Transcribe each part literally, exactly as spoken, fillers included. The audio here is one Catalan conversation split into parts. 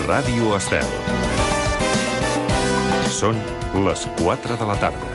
Ràdio Estel. Són les quatre de la tarda.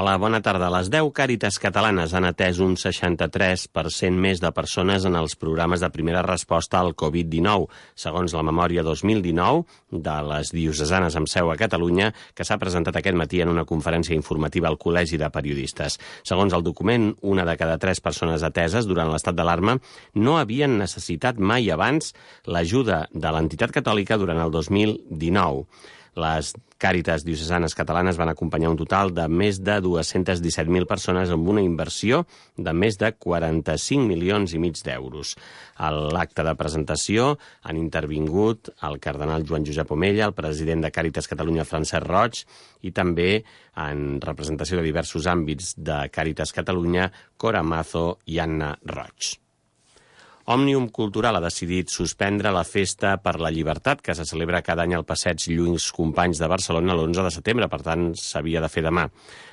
Hola, bona tarda. Les deu Càritas catalanes han atès un seixanta-tres per cent més de persones en els programes de primera resposta al covid dinou, segons la memòria dos mil dinou de les diocesanes amb seu a Catalunya, que s'ha presentat aquest matí en una conferència informativa al Col·legi de Periodistes. Segons el document, una de cada tres persones ateses durant l'estat d'alarma no havien necessitat mai abans l'ajuda de l'entitat catòlica durant el dos mil dinou. Les Càritas diocesanes catalanes van acompanyar un total de més de dos-cents disset mil persones amb una inversió de més de quaranta-cinc milions i mig d'euros. A l'acte de presentació han intervingut el cardenal Joan Josep Omella, el president de Càritas Catalunya Francesc Roig i també, en representació de diversos àmbits de Càritas Catalunya, Cora Mazo i Anna Roig. Òmnium Cultural ha decidit suspendre la Festa per la Llibertat, que se celebra cada any al Passeig Lluís Companys de Barcelona l'onze de setembre, per tant s'havia de fer demà.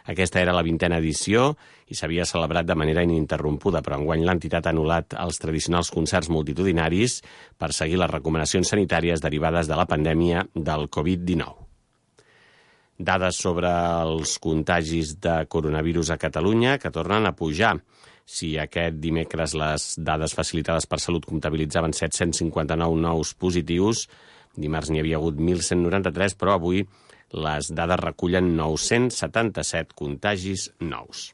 Aquesta era la vintena edició i s'havia celebrat de manera ininterrompuda, però enguany l'entitat ha anul·lat els tradicionals concerts multitudinaris per seguir les recomanacions sanitàries derivades de la pandèmia del covid dinou. Dades sobre els contagis de coronavirus a Catalunya, que tornen a pujar. Si aquest dimecres les dades facilitades per Salut comptabilitzaven set-cents cinquanta-nou nous positius, dimarts n'hi havia hagut mil cent noranta-tres, però avui les dades recullen nou-cents setanta-set contagis nous.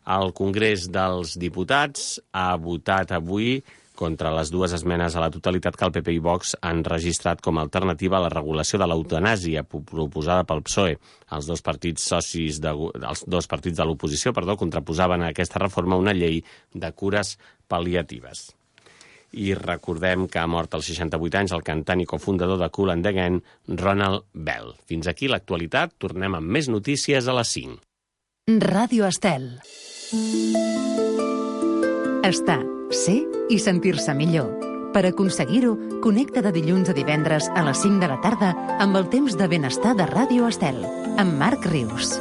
El Congrés dels Diputats ha votat avui contra les dues esmenes a la totalitat que el P P i Vox han registrat com a alternativa a la regulació de l'eutanàsia proposada pel P S O E. Els dos partits socis de, els dos partits de l'oposició perdó, contraposaven a aquesta reforma una llei de cures pal·liatives. I recordem que ha mort als seixanta-vuit anys el cantant i cofundador de Kool and the Gang, Ronald Bell. Fins aquí l'actualitat. Tornem amb més notícies a les cinc. Ràdio Estel. Estar, ser i sentir-se millor. Per aconseguir-ho, connecta de dilluns a divendres a les cinc de la tarda amb el temps de benestar de Ràdio Estel, amb Marc Rius.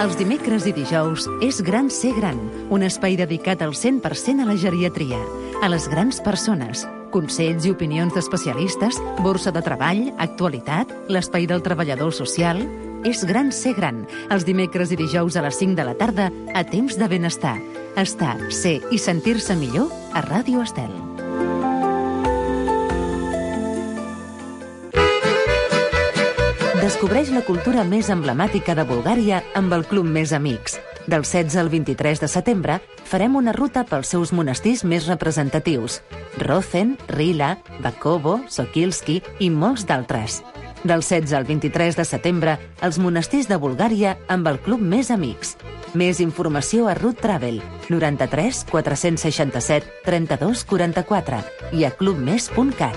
Els dimecres i dijous és Gran Ser Gran, un espai dedicat al cent per cent a la geriatria, a les grans persones, consells i opinions d'especialistes, borsa de treball, actualitat, l'espai del treballador social. És Gran Ser Gran, els dimecres i dijous a les cinc de la tarda a temps de benestar. Estar, ser i sentir-se millor a Ràdio Estel. Descobreix la cultura més emblemàtica de Bulgària amb el Club Més Amics. Del setze al vint-i-tres de setembre farem una ruta pels seus monestirs més representatius: Rozen, Rila, Bakovo, Sokilski i molts d'altres. Del setze al vint-i-tres de setembre, els monestirs de Bulgària amb el Club Més Amics. Més informació a Route Travel, noranta-tres quatre-cents seixanta-set trenta-dos quaranta-quatre i a clubmes punt cat.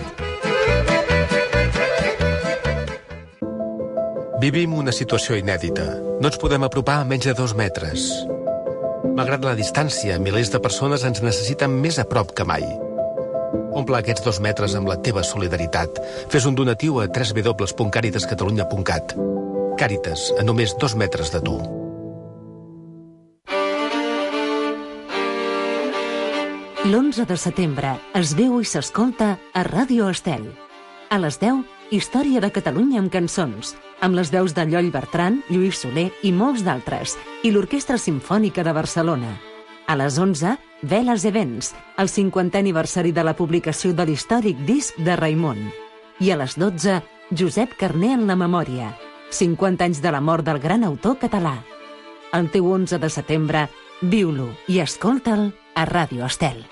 Vivim una situació inèdita. No ens podem apropar a menys de dos metres. Malgrat la distància, milers de persones ens necessiten més a prop que mai. Omple aquests dos metres amb la teva solidaritat. Fes un donatiu a w w w punt càritas catalunya punt cat. Càritas, a només dos metres de tu. L'onze de setembre es veu i s'escolta a Ràdio Estel. A les deu, Història de Catalunya amb cançons, amb les veus de Lloll Bertran, Lluís Soler i molts d'altres, i l'Orquestra Simfònica de Barcelona. A les onze, Veles Events, el cinquantè aniversari de la publicació de l'històric disc de Raimon. I a les dotze, Josep Carner en la memòria, cinquanta anys de la mort del gran autor català. El teu onze de setembre, viu-lo i escolta'l a Ràdio Estel.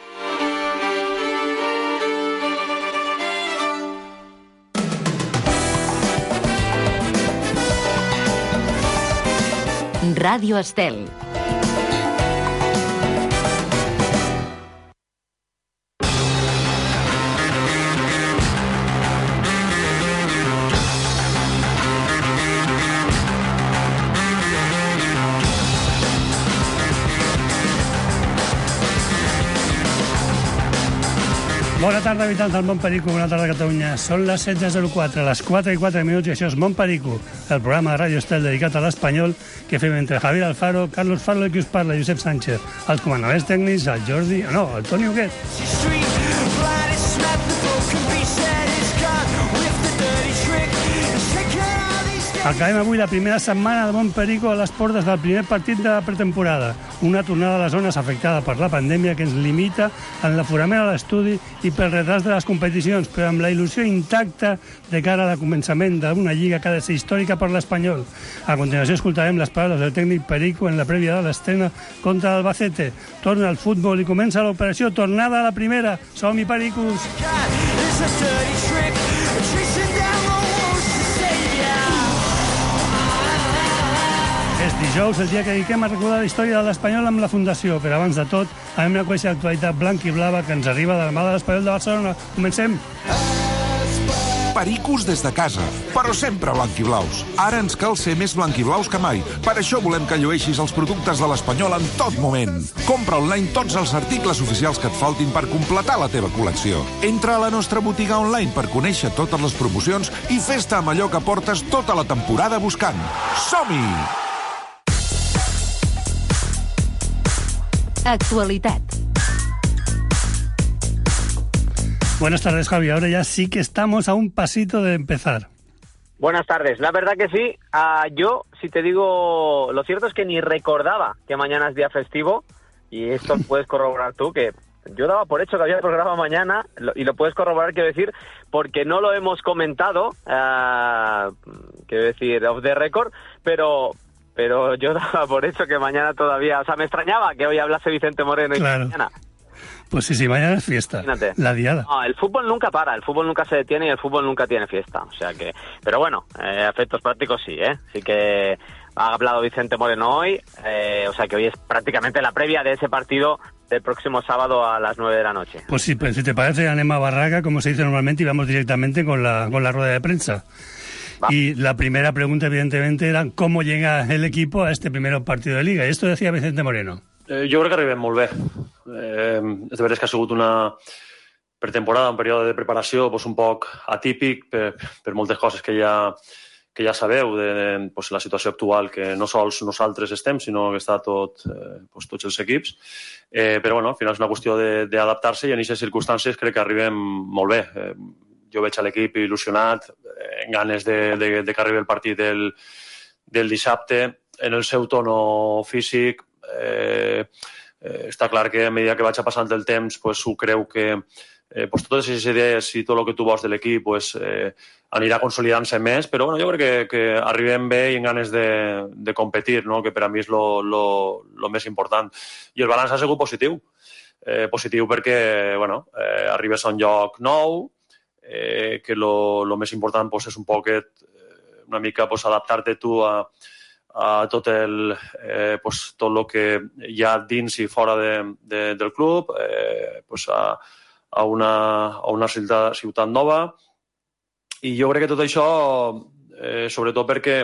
Ràdio Estel. Bona tarda, habitants del Mont Perico, bona tarda a Catalunya. Són les setze zero quatre, les quatre i quatre minuts, i això és Mont Perico, el programa de Ràdio Estel dedicat a l'espanyol que fem entre Javier Alfaro, Carlos Farlo i qui us parla, Josep Sánchez. Els comandaments tècnics, el Jordi... No, el Toni Huguet. Acabem avui la primera setmana de Mont Perico a les portes del primer partit de la pretemporada. Una tornada a les zones afectada per la pandèmia que ens limita en l'aforament a l'estudi i pel retras de les competicions, però amb la il·lusió intacta de cara al començament d'una lliga que ha de ser històrica per l'Espanyol. A continuació escoltarem les paraules del tècnic Perico en la prèvia de l'estrena contra l'Albacete. Torna al futbol i comença l'operació tornada a la primera. Som-hi, Pericos! És dijous, el dia que dediquem a recordar la història de l'Espanyol amb la Fundació, però abans de tot, anem a conèixer l'actualitat blanca i blava que ens arriba de la mà de l'Espanyol de Barcelona. Comencem! Pericos des de casa, però sempre blanc i blaus. Ara ens cal ser més blanc i blaus que mai. Per això volem que llueixis els productes de l'Espanyol en tot moment. Compra online tots els articles oficials que et faltin per completar la teva col·lecció. Entra a la nostra botiga online per conèixer totes les promocions i fes-te amb allò que portes tota la temporada buscant. Som-hi! Actualitat. Buenas tardes, Javi. Ahora ya sí que estamos a un pasito de empezar. Buenas tardes. La verdad que sí. Uh, yo, si te digo, lo cierto es que ni recordaba que mañana es día festivo, y esto puedes corroborar tú, que yo daba por hecho que había programa mañana, y lo puedes corroborar, quiero decir, porque no lo hemos comentado, uh, quiero decir, off the record, pero... pero yo daba por hecho que mañana todavía... O sea, me extrañaba que hoy hablase Vicente Moreno y claro. mañana. Pues sí, sí, mañana es fiesta. Imagínate. La diada. No, el fútbol nunca para, el fútbol nunca se detiene y el fútbol nunca tiene fiesta. O sea que... Pero bueno, eh, a efectos prácticos sí, ¿eh? Sí que ha hablado Vicente Moreno hoy, eh, o sea que hoy es prácticamente la previa de ese partido del próximo sábado a las nueve de la noche. Pues sí, pues si te parece, anem a barraca, como se dice normalmente, y vamos directamente con la, con la rueda de prensa. Va. Y la primera pregunta, evidentemente, era cómo llega el equipo a este primer partido de Liga. I esto decía Vicente Moreno. Eh, jo crec que arribem molt bé. Eh, és de veres que ha sigut una pretemporada, un període de preparació pues, un poc atípic per, per moltes coses que ja, que ja sabeu de, de pues, la situació actual, que no sols nosaltres estem, sinó que està tot, eh, pues, tots els equips. Eh, però bueno, al final és una qüestió d'adaptar-se i en aquestes circumstàncies crec que arribem molt bé. Eh, jo veig a l'equip il·lusionat, en ganes de, de, de que arribi el partit del, del dissabte, en el seu tono físic. Eh, eh, està clar que a mesura que vaig passant el temps pues, ho creu que eh, pues, totes aquestes idees i tot el que tu vols de l'equip pues, eh, anirà consolidant-se més, però bueno, jo crec que, que arribem bé i en ganes de, de competir, no? Que per a mi és el més important. I el balanç ha sigut positiu. Eh, positiu perquè bueno, eh, arribes a un lloc nou, Eh, que el més important pues, és un poquet, eh, una mica pues, adaptar-te tu a, a tot el eh, pues, tot el que hi ha dins i fora de, de, del club, eh, pues, a, a, una, a una ciutat, ciutat nova. I jo crec que tot això, eh, sobretot perquè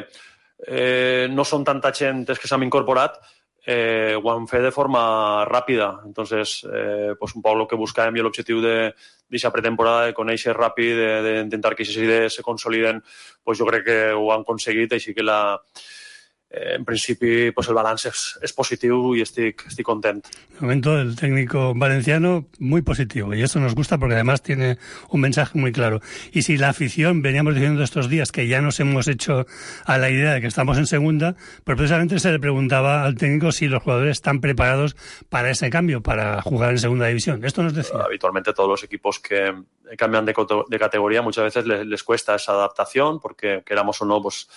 eh, no són tanta gent que s'han incorporat, Eh, ho han fet de forma ràpida. Entonces, eh, pues un poc el que buscàvem i l'objectiu d'aquesta pretemporada de conèixer ràpid, d'intentar que aquestes idees se consoliden, pues jo crec que ho han aconseguit, així que la, eh, en principi pues el balanç és, és positiu i estic, estic content. De momento el técnico valenciano muy positivo y eso nos gusta porque además tiene un mensaje muy claro. Y si la afición, veníamos diciendo estos días que ya nos hemos hecho a la idea de que estamos en segunda, pero precisamente se le preguntaba al técnico si los jugadores están preparados para ese cambio, para jugar en segunda división. Esto nos decía. Habitualmente todos los equipos que cambian de, de categoría muchas veces les, les cuesta esa adaptación porque queramos o no, pues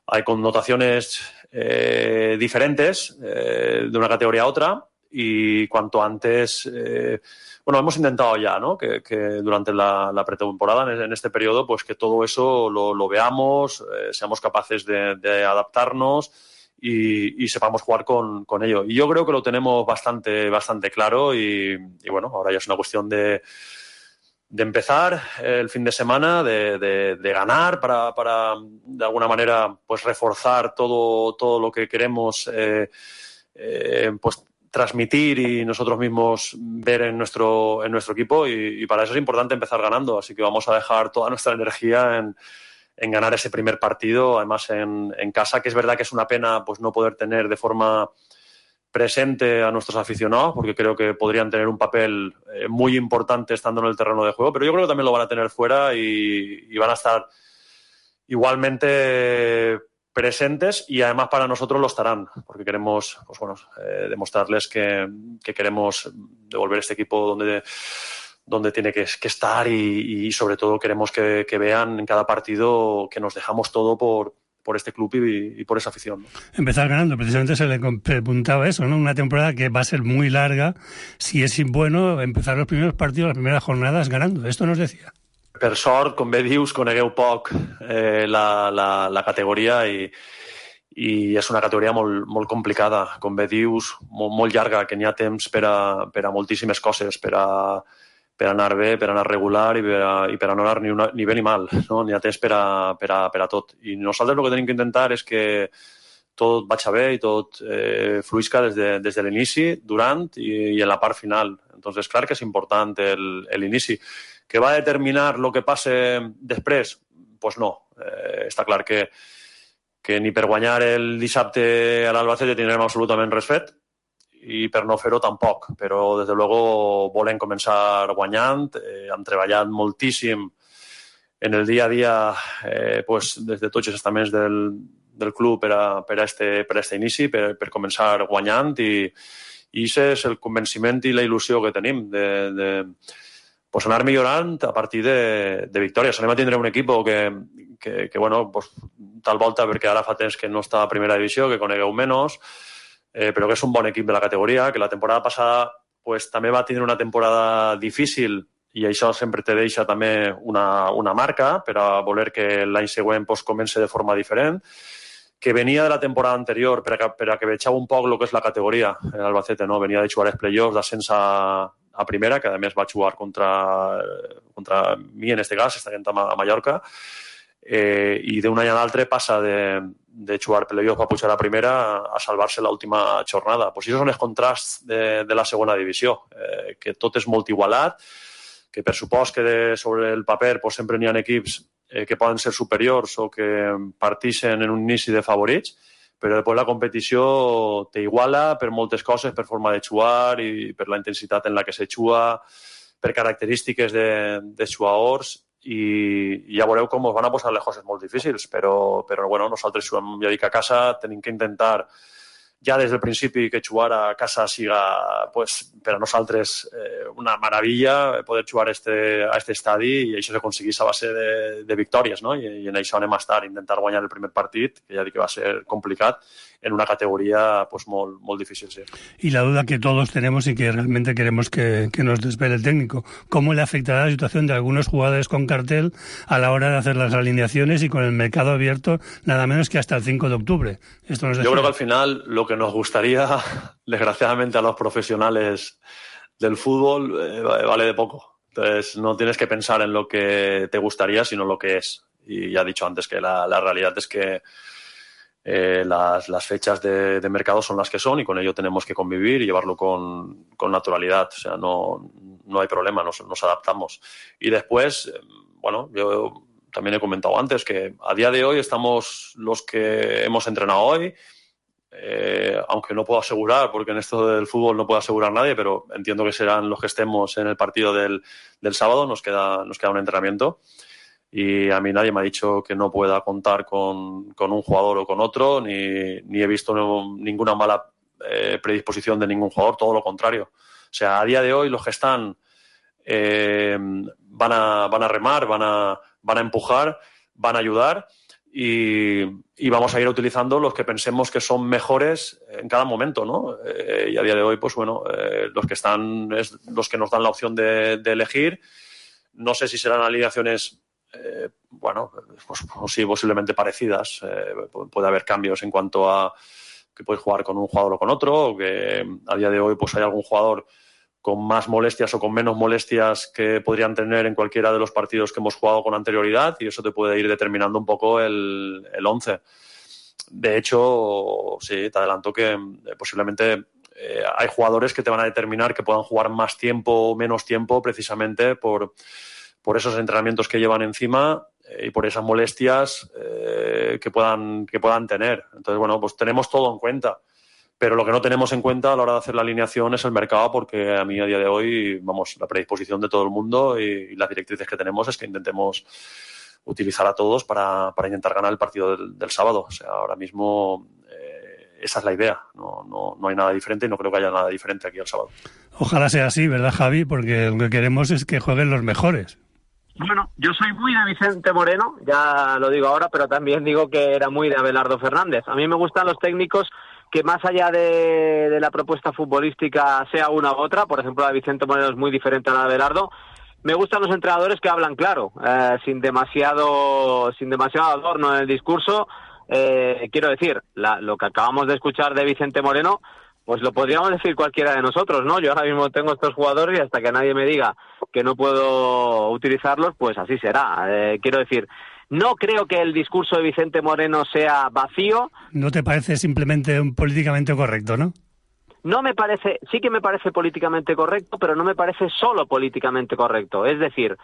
hay connotaciones eh, diferentes eh, de una categoría a otra y cuanto antes, eh, bueno, hemos intentado ya, ¿no? Que, que durante la, la pretemporada, en, en este periodo, pues que todo eso lo, lo veamos, eh, seamos capaces de, de adaptarnos y, y sepamos jugar con, con ello. Y yo creo que lo tenemos bastante, bastante claro y, y bueno, ahora ya es una cuestión de de empezar el fin de semana, de, de, de ganar para, para, de alguna manera, pues reforzar todo, todo lo que queremos eh, eh, pues transmitir y nosotros mismos ver en nuestro, en nuestro equipo y, y para eso es importante empezar ganando, así que vamos a dejar toda nuestra energía en, en ganar ese primer partido, además en, en casa, que es verdad que es una pena pues no poder tener de forma presente a nuestros aficionados, porque creo que podrían tener un papel eh, muy importante estando en el terreno de juego, pero yo creo que también lo van a tener fuera y, y van a estar igualmente presentes y además para nosotros lo estarán, porque queremos pues bueno, eh, demostrarles que, que queremos devolver este equipo donde, donde tiene que, que estar y, y sobre todo queremos que, que vean en cada partido que nos dejamos todo por, por este club y, y por esa afición, ¿no? Empezar ganando, precisamente se le preguntaba eso, ¿no? Una temporada que va a ser muy larga, si es bueno empezar los primeros partidos, las primeras jornadas ganando, esto nos decía. Per sort, com bé dius, conegueu poc eh, la, la, la categoria i, i és una categoria molt, molt complicada, com bé dius, molt, molt llarga, que n'hi ha temps per a, per a moltíssimes coses, per a, per a anar bé, per a anar regular i per a, i per a no anar ni, una, ni bé ni mal, no? N'hi ha temps per a, per, a, per a tot. I nosaltres el que tenim que intentar és que tot vagi bé i tot eh, fluisca des de, des de l'inici, durant i, i en la part final. Entonces, clar que és important l'inici. Que va a determinar lo que passe després? Pues no. Eh, està clar que, que ni per guanyar el dissabte a l'Albacete tindrem absolutament res fet i per no fer-ho tampoc. Però, des de luego, volem començar guanyant. Eh, hem treballat moltíssim en el dia a dia eh, pues, des de tots els estaments del, del club per a, per a, este, per a este inici, per, per començar guanyant i, i aquest és el convenciment i la il·lusió que tenim de... de pues anar millorant a partir de, de victòries. Anem a tindre un equip que, que, que bueno, pues, tal volta, perquè ara fa temps que no està a primera divisió, que conegueu menys, eh, però que és un bon equip de la categoria, que la temporada passada pues, també va tindre una temporada difícil i això sempre te deixa també una, una marca per a voler que l'any següent pues, comenci de forma diferent, que venia de la temporada anterior per a, per a que vegeu un poc el que és la categoria. L'Albacete no? Venia de jugar els play-offs, d'ascens a a primera, que a més va jugar contra, contra mi en este cas, estant a Mallorca, eh, i d'un any a l'altre passa de, de jugar playoff a pujar a primera a salvar-se l'última jornada. Pues això són els contrasts de, de la segona divisió, eh, que tot és molt igualat, que per supost que de, sobre el paper pues, sempre n'hi ha equips eh, que poden ser superiors o que partixen en un inici de favorits, però després la competició t'iguala per moltes coses, per forma de jugar i per la intensitat en la que se juga, per característiques de, de jugadors i, i ja veureu com us van a posar les coses molt difícils, però, però bueno, nosaltres juguem, ja dic, a casa, tenim que intentar ja des del principi que jugar a casa siga pues, per a nosaltres eh, una meravella poder jugar este, a este estadi i això s'aconseguís a base de, de victòries, no? I, i en això anem a estar, intentar guanyar el primer partit, que ja dic que va ser complicat, en una categoría pues, molt, molt difícil. Sí. Y la duda que todos tenemos y que realmente queremos que, que nos desvele el técnico, ¿cómo le afectará la situación de algunos jugadores con cartel a la hora de hacer las alineaciones y con el mercado abierto nada menos que hasta el cinco de octubre? Esto nos Yo creo que al final lo que nos gustaría, desgraciadamente a los profesionales del fútbol, eh, vale de poco. Entonces no tienes que pensar en lo que te gustaría, sino lo que es. Y ya he dicho antes que la, la realidad es que Eh, las, las fechas de, de mercado son las que son y con ello tenemos que convivir y llevarlo con, con naturalidad. O sea, no, no hay problema, nos, nos adaptamos. Y después, eh, bueno, yo también he comentado antes que a día de hoy estamos los que hemos entrenado hoy, eh, aunque no puedo asegurar, porque en esto del fútbol no puedo asegurar nadie, pero entiendo que serán los que estemos en el partido del, del sábado, nos queda, nos queda un entrenamiento. Y a mí nadie me ha dicho que no pueda contar con, con un jugador o con otro, ni, ni he visto no, ninguna mala eh, predisposición de ningún jugador, todo lo contrario. O sea, a día de hoy los que están eh, van, a, van a remar, van a, van a empujar, van a ayudar y, y vamos a ir utilizando los que pensemos que son mejores en cada momento, ¿no? Eh, y a día de hoy, pues bueno, eh, los que están es los que nos dan la opción de, de elegir. No sé si serán alineaciones Eh, bueno, pues, pues sí, posiblemente parecidas. Eh, puede haber cambios en cuanto a que puedes jugar con un jugador o con otro, o que a día de hoy pues hay algún jugador con más molestias o con menos molestias que podrían tener en cualquiera de los partidos que hemos jugado con anterioridad y eso te puede ir determinando un poco el, el once. De hecho, sí, te adelanto que eh, posiblemente eh, hay jugadores que te van a determinar que puedan jugar más tiempo o menos tiempo precisamente por, por esos entrenamientos que llevan encima eh, y por esas molestias eh, que puedan, que puedan tener. Entonces, bueno, pues tenemos todo en cuenta. Pero lo que no tenemos en cuenta a la hora de hacer la alineación es el mercado, porque a mí a día de hoy, vamos, la predisposición de todo el mundo y, y las directrices que tenemos es que intentemos utilizar a todos para, para intentar ganar el partido del, del sábado. O sea, ahora mismo eh, esa es la idea. No, no, no hay nada diferente y no creo que haya nada diferente aquí el sábado. Ojalá sea así, ¿verdad, Javi? Porque lo que queremos es que jueguen los mejores. Bueno, yo soy muy de Vicente Moreno, ya lo digo ahora, pero también digo que era muy de Abelardo Fernández. A mí me gustan los técnicos que más allá de, de la propuesta futbolística sea una u otra, por ejemplo la de Vicente Moreno es muy diferente a la de Abelardo, me gustan los entrenadores que hablan claro, eh, sin demasiado sin demasiado adorno en el discurso. Eh, quiero decir, la, lo que acabamos de escuchar de Vicente Moreno, pues lo podríamos decir cualquiera de nosotros, ¿no? Yo ahora mismo tengo estos jugadores y hasta que nadie me diga que no puedo utilizarlos, pues así será. Eh, quiero decir, no creo que el discurso de Vicente Moreno sea vacío. ¿No te parece simplemente un políticamente correcto, no? No me parece, sí que me parece políticamente correcto, pero no me parece solo políticamente correcto. Es decir,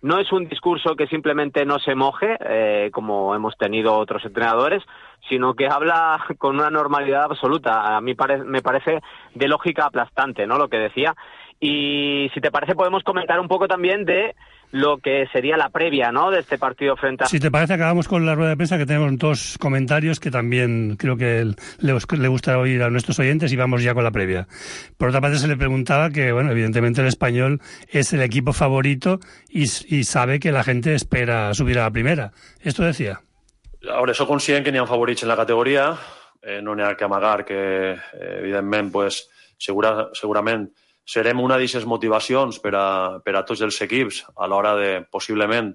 no es un discurso que simplemente no se moje, eh, como hemos tenido otros entrenadores, sino que habla con una normalidad absoluta. A mí pare- me parece de lógica aplastante, ¿no?, lo que decía. Y si te parece podemos comentar un poco también de lo que sería la previa, ¿no?, de este partido frente a... Si te parece, acabamos con la rueda de prensa, que tenemos dos comentarios que también creo que le, le gusta oír a nuestros oyentes, y vamos ya con la previa. Por otra parte, se le preguntaba que, bueno, evidentemente el Español es el equipo favorito y, y sabe que la gente espera subir a la primera. Esto decía. Ahora, eso conscient que n'hi ha favorits en la categoria, eh, no n'hi ha que amagar que, eh, evidentment, pues, segura, segurament serem una d'aquestes motivacions per a, per a tots els equips a l'hora de, possiblement,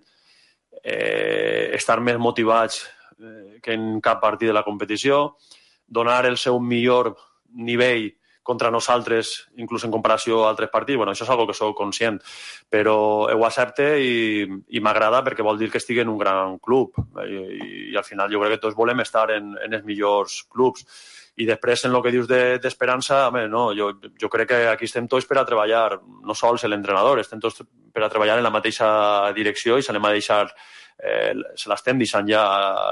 eh, estar més motivats eh, que en cap partit de la competició, donar el seu millor nivell contra nosaltres, inclús en comparació a altres partits. Bueno, això és algo que sóc conscient, però ho accepte i, i m'agrada perquè vol dir que estigui en un gran club. I, i al final jo crec que tots volem estar en, en els millors clubs. I després, en el que dius de, d'esperança, home, no, jo, jo crec que aquí estem tots per a treballar, no sols l'entrenador, estem tots per a treballar en la mateixa direcció i se l'hem a deixar, eh, se l'estem deixant ja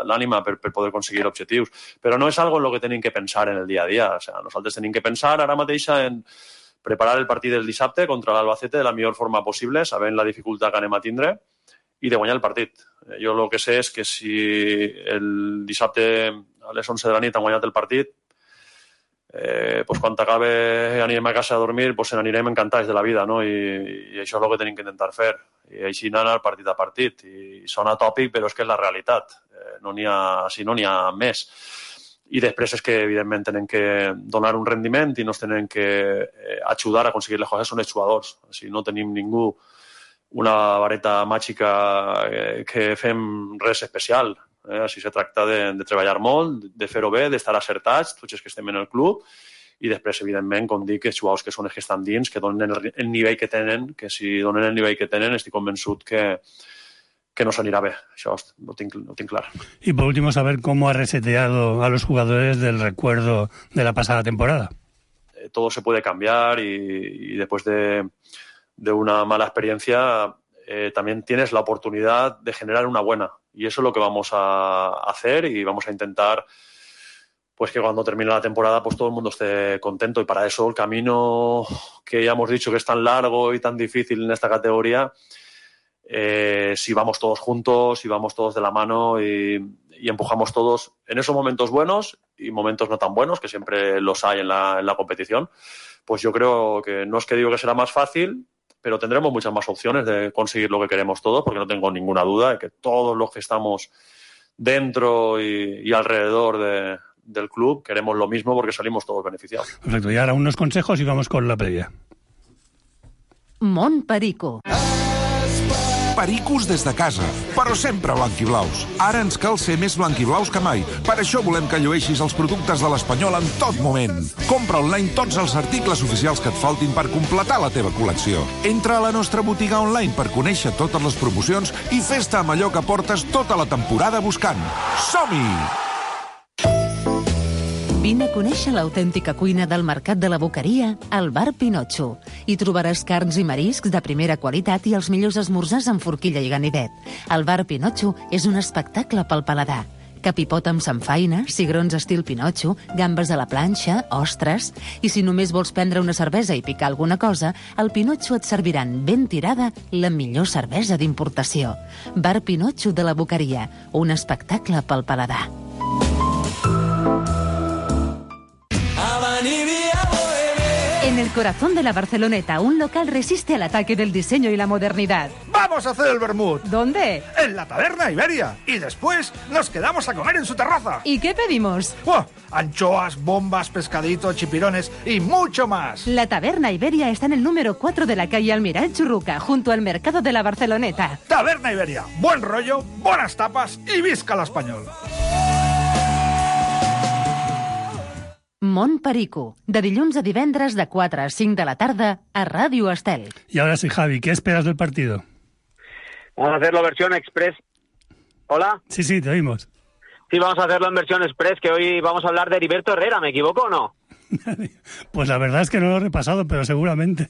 l'ànima per, per poder aconseguir objectius. Però no és algo en el que tenim que pensar en el dia a dia. O sea, nosaltres tenim que pensar ara mateixa en preparar el partit del dissabte contra l'Albacete de la millor forma possible, sabent la dificultat que anem a tindre, i de guanyar el partit. Jo el que sé és que si el dissabte a les onze de la nit han guanyat el partit, Eh, pues quan acabe anirem a casa a dormir, pues n'anirem encantats de la vida, no? I, i això és el que tenim que intentar fer. I així anar partit a partit. I sona tòpic, però és que és la realitat. Eh, no n'hi ha, si no n'hi ha més. I després és que, evidentment, tenen que donar un rendiment i nos tenen que eh, ajudar a aconseguir les coses, són els jugadors. Si no tenim ningú una vareta màgica eh, que fem res especial. Eh, així se tracta de, de treballar molt, de fer-ho bé, d'estar acertats, tots els que estem en el club, i després, evidentment, com dic, els jugadors que són els que estan dins, que donen el, el nivell que tenen, que si donen el nivell que tenen, estic convençut que, que nos anirà bé. Això ho tinc, ho tinc clar. Y por último, saber cómo ha reseteado a los jugadores del recuerdo de la pasada temporada. Eh, todo se puede cambiar y, y después de, de una mala experiencia eh, también tienes la oportunidad de generar una buena. Y eso es lo que vamos a hacer y vamos a intentar pues que cuando termine la temporada pues todo el mundo esté contento. Y para eso el camino que ya hemos dicho que es tan largo y tan difícil en esta categoría, eh, si vamos todos juntos, si vamos todos de la mano y, y empujamos todos en esos momentos buenos y momentos no tan buenos, que siempre los hay en la, en la competición, pues yo creo que no es que digo que será más fácil, pero tendremos muchas más opciones de conseguir lo que queremos todos, porque no tengo ninguna duda de que todos los que estamos dentro y, y alrededor de, del club queremos lo mismo porque salimos todos beneficiados. Perfecto, y ahora unos consejos y vamos con la previa. Mont Perico. Pericos des de casa, però sempre blanquiblaus. Ara ens cal ser més blanquiblaus que mai. Per això volem que llueixis els productes de l'Espanyol en tot moment. Compra online tots els articles oficials que et faltin per completar la teva col·lecció. Entra a la nostra botiga online per conèixer totes les promocions i fes-te amb allò que portes tota la temporada buscant. Som-hi! Vine a conèixer l'autèntica cuina del Mercat de la Boqueria al Bar Pinotxo. Hi trobaràs carns i mariscs de primera qualitat i els millors esmorzars amb forquilla i ganivet. El Bar Pinotxo és un espectacle pel paladar. Capipot amb samfaina, cigrons estil Pinotxo, gambes a la planxa, ostres... I si només vols prendre una cervesa i picar alguna cosa, al Pinotxo et serviran ben tirada la millor cervesa d'importació. Bar Pinotxo de la Boqueria, un espectacle pel paladar. En el corazón de la Barceloneta, un local resiste al ataque del diseño y la modernidad. ¡Vamos a hacer el vermut! ¿Dónde? En la Taberna Iberia. Y después nos quedamos a comer en su terraza. ¿Y qué pedimos? ¡Oh! Anchoas, bombas, pescaditos, chipirones y mucho más. La Taberna Iberia está en el número cuatro de la calle Almirall Churruca, junto al mercado de la Barceloneta. Taberna Iberia. Buen rollo, buenas tapas y visca l'espanyol. Mont Perico, de dilluns a divendres de quatre a cinc de la tarda a Radio Estel. Y ahora sí, Javi, ¿qué esperas del partido? Vamos a hacerlo versión express. ¿Hola? Sí, sí, te oímos. Sí, vamos a hacerlo en versión express, que hoy vamos a hablar de Heriberto Herrera, ¿me equivoco o no? Pues la verdad es que no lo he repasado, pero seguramente.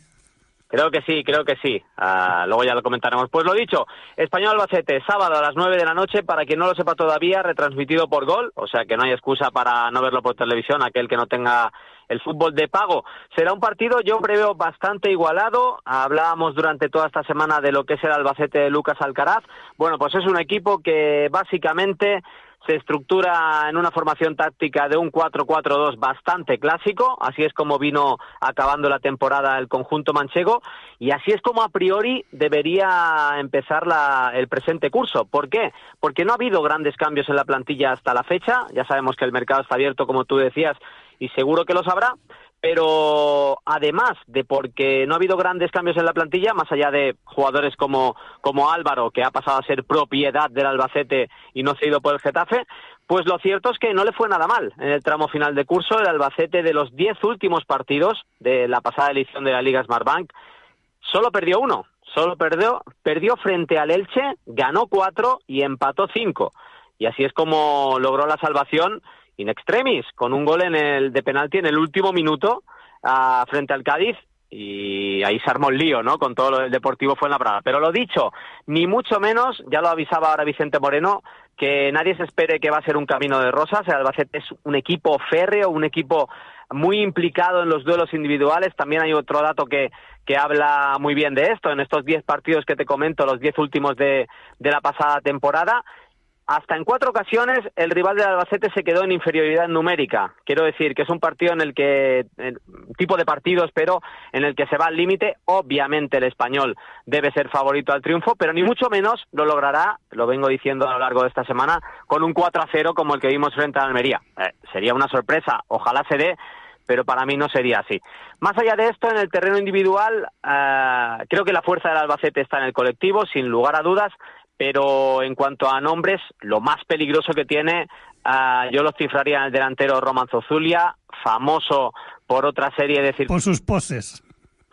Creo que sí, creo que sí. Uh, luego ya lo comentaremos. Pues lo dicho, Español Albacete, sábado a las nueve de la noche, para quien no lo sepa todavía, retransmitido por Gol, o sea que no hay excusa para no verlo por televisión, aquel que no tenga el fútbol de pago. Será un partido, yo preveo, bastante igualado. Hablábamos durante toda esta semana de lo que es el Albacete de Lucas Alcaraz. Bueno, pues es un equipo que básicamente se estructura en una formación táctica de un cuatro cuatro dos bastante clásico, así es como vino acabando la temporada el conjunto manchego, y así es como a priori debería empezar la, el presente curso. ¿Por qué? Porque no ha habido grandes cambios en la plantilla hasta la fecha, ya sabemos que el mercado está abierto, como tú decías, y seguro que lo sabrá, pero además de porque no ha habido grandes cambios en la plantilla, más allá de jugadores como, como Álvaro, que ha pasado a ser propiedad del Albacete y no cedido por el Getafe, pues lo cierto es que no le fue nada mal en el tramo final de curso. El Albacete, de los diez últimos partidos de la pasada edición de la Liga Smartbank, solo perdió uno, solo perdió, perdió frente al Elche, ganó cuatro y empató cinco. Y así es como logró la salvación in extremis, con un gol en el de penalti en el último minuto uh, frente al Cádiz, y ahí se armó el lío, ¿no?, con todo lo del Deportivo Fuenlabrada. Pero lo dicho, ni mucho menos, ya lo avisaba ahora Vicente Moreno, que nadie se espere que va a ser un camino de rosas. El Albacete es un equipo férreo, un equipo muy implicado en los duelos individuales. También hay otro dato que, que habla muy bien de esto. En estos diez partidos que te comento, los diez últimos de, de la pasada temporada, hasta en cuatro ocasiones el rival del Albacete se quedó en inferioridad numérica. Quiero decir que es un partido en el que, el tipo de partidos, pero en el que se va al límite. Obviamente el Español debe ser favorito al triunfo, pero ni mucho menos lo logrará, lo vengo diciendo a lo largo de esta semana, con un cuatro a cero como el que vimos frente a Almería. Eh, sería una sorpresa, ojalá se dé, pero para mí no sería así. Más allá de esto, en el terreno individual, uh, creo que la fuerza del Albacete está en el colectivo, sin lugar a dudas, pero en cuanto a nombres, lo más peligroso que tiene, uh, yo lo cifraría en el delantero Roman Zozulia, famoso por otra serie de circunstancias. Por sus poses.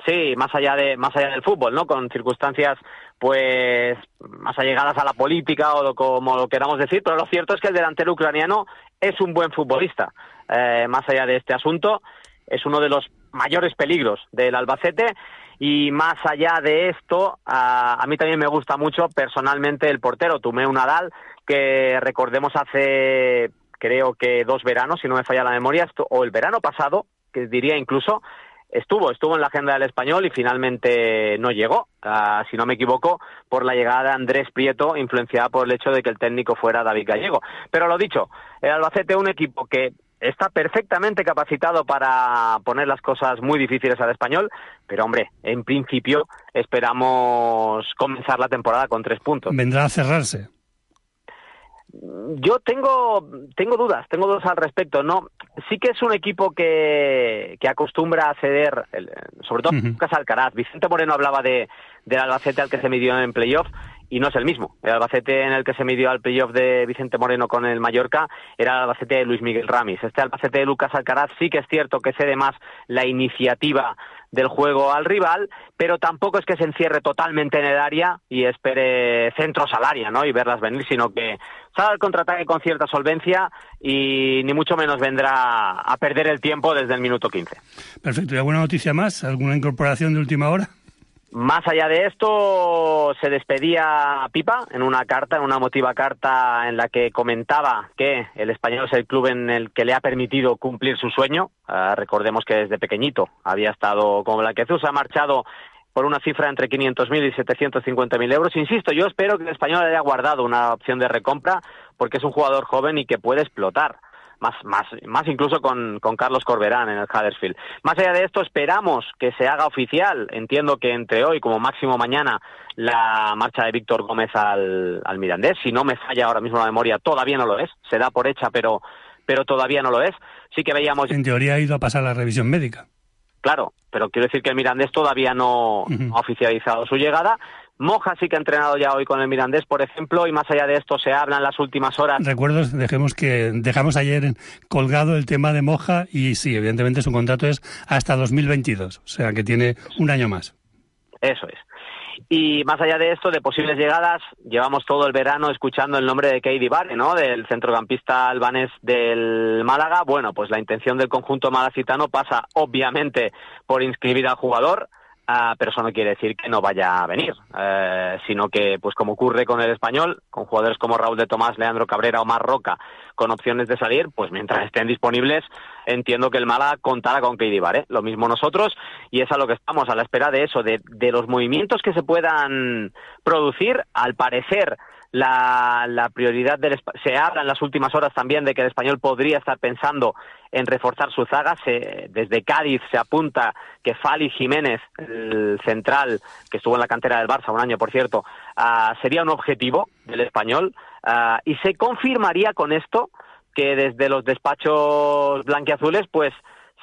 Sí, más allá de más allá del fútbol, ¿no? Con circunstancias, pues, más allegadas a la política o lo, como lo queramos decir, pero lo cierto es que el delantero ucraniano es un buen futbolista. Eh, más allá de este asunto, es uno de los mayores peligros del Albacete. Y más allá de esto, a, a mí también me gusta mucho personalmente el portero, Tumeu Nadal, que recordemos hace, creo que dos veranos, si no me falla la memoria, esto, o el verano pasado, que diría incluso, estuvo, estuvo en la agenda del Español y finalmente no llegó, uh, si no me equivoco, por la llegada de Andrés Prieto, influenciada por el hecho de que el técnico fuera David Gallego. Pero lo dicho, el Albacete es un equipo que está perfectamente capacitado para poner las cosas muy difíciles al Español, pero hombre, en principio esperamos comenzar la temporada con tres puntos. Vendrá a cerrarse. Yo tengo tengo dudas, tengo dudas al respecto. No, sí que es un equipo que, que acostumbra a ceder, el, sobre todo uh-huh. Lucas Alcaraz. Vicente Moreno hablaba de del Albacete al que se midió en playoff, y no es el mismo. El Albacete en el que se midió al playoff de Vicente Moreno con el Mallorca era el Albacete de Luis Miguel Ramis. Este Albacete de Lucas Alcaraz sí que es cierto que cede más la iniciativa del juego al rival, pero tampoco es que se encierre totalmente en el área y espere centros al área, ¿no? Y verlas venir, sino que sale al contraataque con cierta solvencia y ni mucho menos vendrá a perder el tiempo desde el minuto quince. Perfecto. ¿Y alguna noticia más? ¿Alguna incorporación de última hora? Más allá de esto, se despedía Pipa en una carta, en una emotiva carta en la que comentaba que el Español es el club en el que le ha permitido cumplir su sueño. Uh, recordemos que desde pequeñito había estado con Blanquiazul, se ha marchado por una cifra entre quinientos mil y setecientos cincuenta mil euros. Insisto, yo espero que el Español haya guardado una opción de recompra porque es un jugador joven y que puede explotar. Más, más, más incluso con, con Carlos Corberán en el Huddersfield. Más allá de esto, esperamos que se haga oficial, entiendo que entre hoy, como máximo mañana, la marcha de Víctor Gómez al, al Mirandés. Si no me falla ahora mismo la memoria, todavía no lo es. Se da por hecha, pero, pero todavía no lo es. Sí que veíamos... En teoría ha ido a pasar la revisión médica. Claro, pero quiero decir que el Mirandés todavía no uh-huh. ha oficializado su llegada. Moja sí que ha entrenado ya hoy con el Mirandés, por ejemplo, y más allá de esto se habla en las últimas horas. Recuerdo, dejemos que dejamos ayer colgado el tema de Moja y sí, evidentemente su contrato es hasta dos mil veintidós, o sea que tiene un año más. Eso es. Y más allá de esto, de posibles llegadas, llevamos todo el verano escuchando el nombre de Keidi Bare, ¿no?, del centrocampista albanés del Málaga. Bueno, pues la intención del conjunto malacitano pasa obviamente por inscribir al jugador. Uh, pero eso no quiere decir que no vaya a venir, uh, sino que, pues como ocurre con el Español, con jugadores como Raúl de Tomás, Leandro Cabrera o Mar Roca, con opciones de salir, pues mientras estén disponibles, entiendo que el Málaga contará con Keidi Bare, ¿eh? Lo mismo nosotros, y es a lo que estamos, a la espera de eso, de, de los movimientos que se puedan producir. Al parecer, la, la prioridad del... Se habla en las últimas horas también de que el Español podría estar pensando en reforzar su zaga. Se, desde Cádiz se apunta que Fali Jiménez, el central, que estuvo en la cantera del Barça un año, por cierto, uh, sería un objetivo del Español, uh, y se confirmaría con esto que desde los despachos blanquiazules pues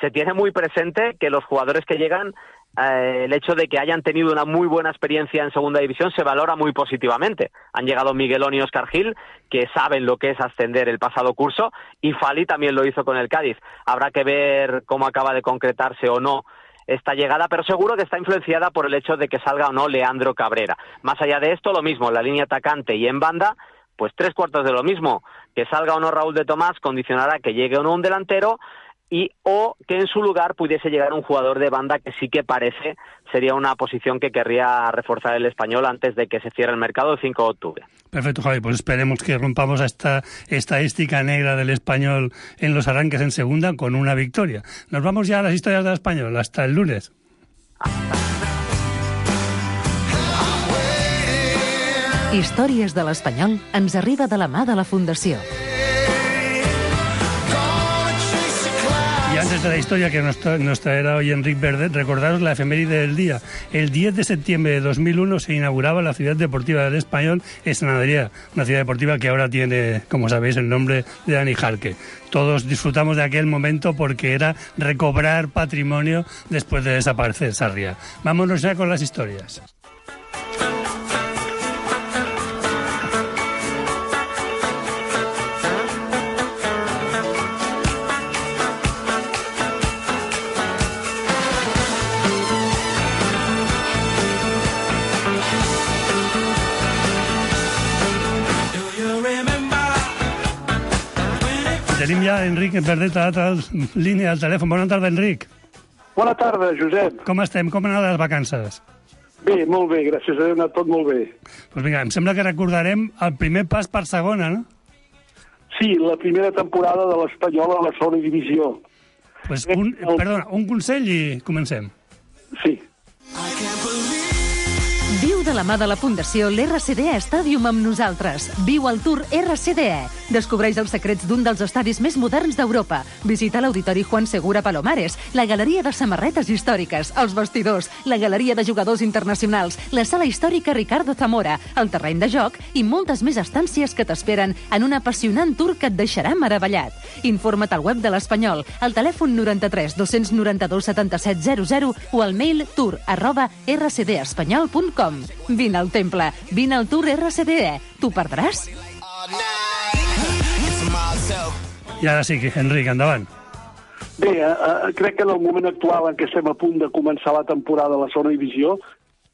se tiene muy presente que los jugadores que llegan, eh, el hecho de que hayan tenido una muy buena experiencia en segunda división se valora muy positivamente. Han llegado Miguelón y Óscar Gil, que saben lo que es ascender el pasado curso, y Fali también lo hizo con el Cádiz. Habrá que ver cómo acaba de concretarse o no esta llegada, pero seguro que está influenciada por el hecho de que salga o no Leandro Cabrera. Más allá de esto, lo mismo, la línea atacante y en banda, pues tres cuartos de lo mismo. Que salga o no Raúl de Tomás condicionará que llegue o no un delantero, y o que en su lugar pudiese llegar un jugador de banda, que sí que parece sería una posición que querría reforzar el Español antes de que se cierre el mercado el cinco de octubre. Perfecto, Javi, pues esperemos que rompamos esta estadística negra del Español en los arranques en segunda con una victoria. Nos vamos ya a las historias del Español. Hasta el lunes. Històries de l'Espanyol ens arriba de la mà de la Fundació. Y antes de la historia que nos, tra- nos traerá hoy Enric Verdet, recordaros la efeméride del día. El diez de septiembre de dos mil uno se inauguraba la Ciudad Deportiva del Español en San Adrià, una ciudad deportiva que ahora tiene, como sabéis, el nombre de Dani Jarque. Todos disfrutamos de aquel momento porque era recobrar patrimonio después de desaparecer Sarriá. Vámonos ya con las historias. Tenim ja Enric Verdet a l'altra línia del telèfon. Bona tarda, Enric. Bona tarda, Josep. Com estem? Com han anat les vacances? Bé, molt bé, gràcies a Déu, ha anat tot molt bé. Doncs vinga, em sembla que recordarem el primer pas per segona, no? Sí, la primera temporada de l'Espanyol a la segona divisió. Pues un, perdona, un consell i comencem. Sí. Viu de la mà de la Fundació l'R C D E Stadium amb nosaltres. Viu el Tour R C D E. Descobreix els secrets d'un dels estadis més moderns d'Europa. Visita l'Auditori Juan Segura Palomares, la Galeria de Samarretes Històriques, els vestidors, la Galeria de Jugadors Internacionals, la Sala Històrica Ricardo Zamora, el terreny de joc i moltes més estàncies que t'esperen en un apassionant tour que et deixarà meravellat. Informa't al web de l'Espanyol, al telèfon noranta-tres dos noranta-dos setanta-set zero zero o al mail tour arroba r c d espanyol punt com. Vine al temple, vine al Tour R C D E. T'ho perdràs? I ara sí, Enric, endavant. Bé, eh, crec que en el moment actual en què estem a punt de començar la temporada a la segona divisió,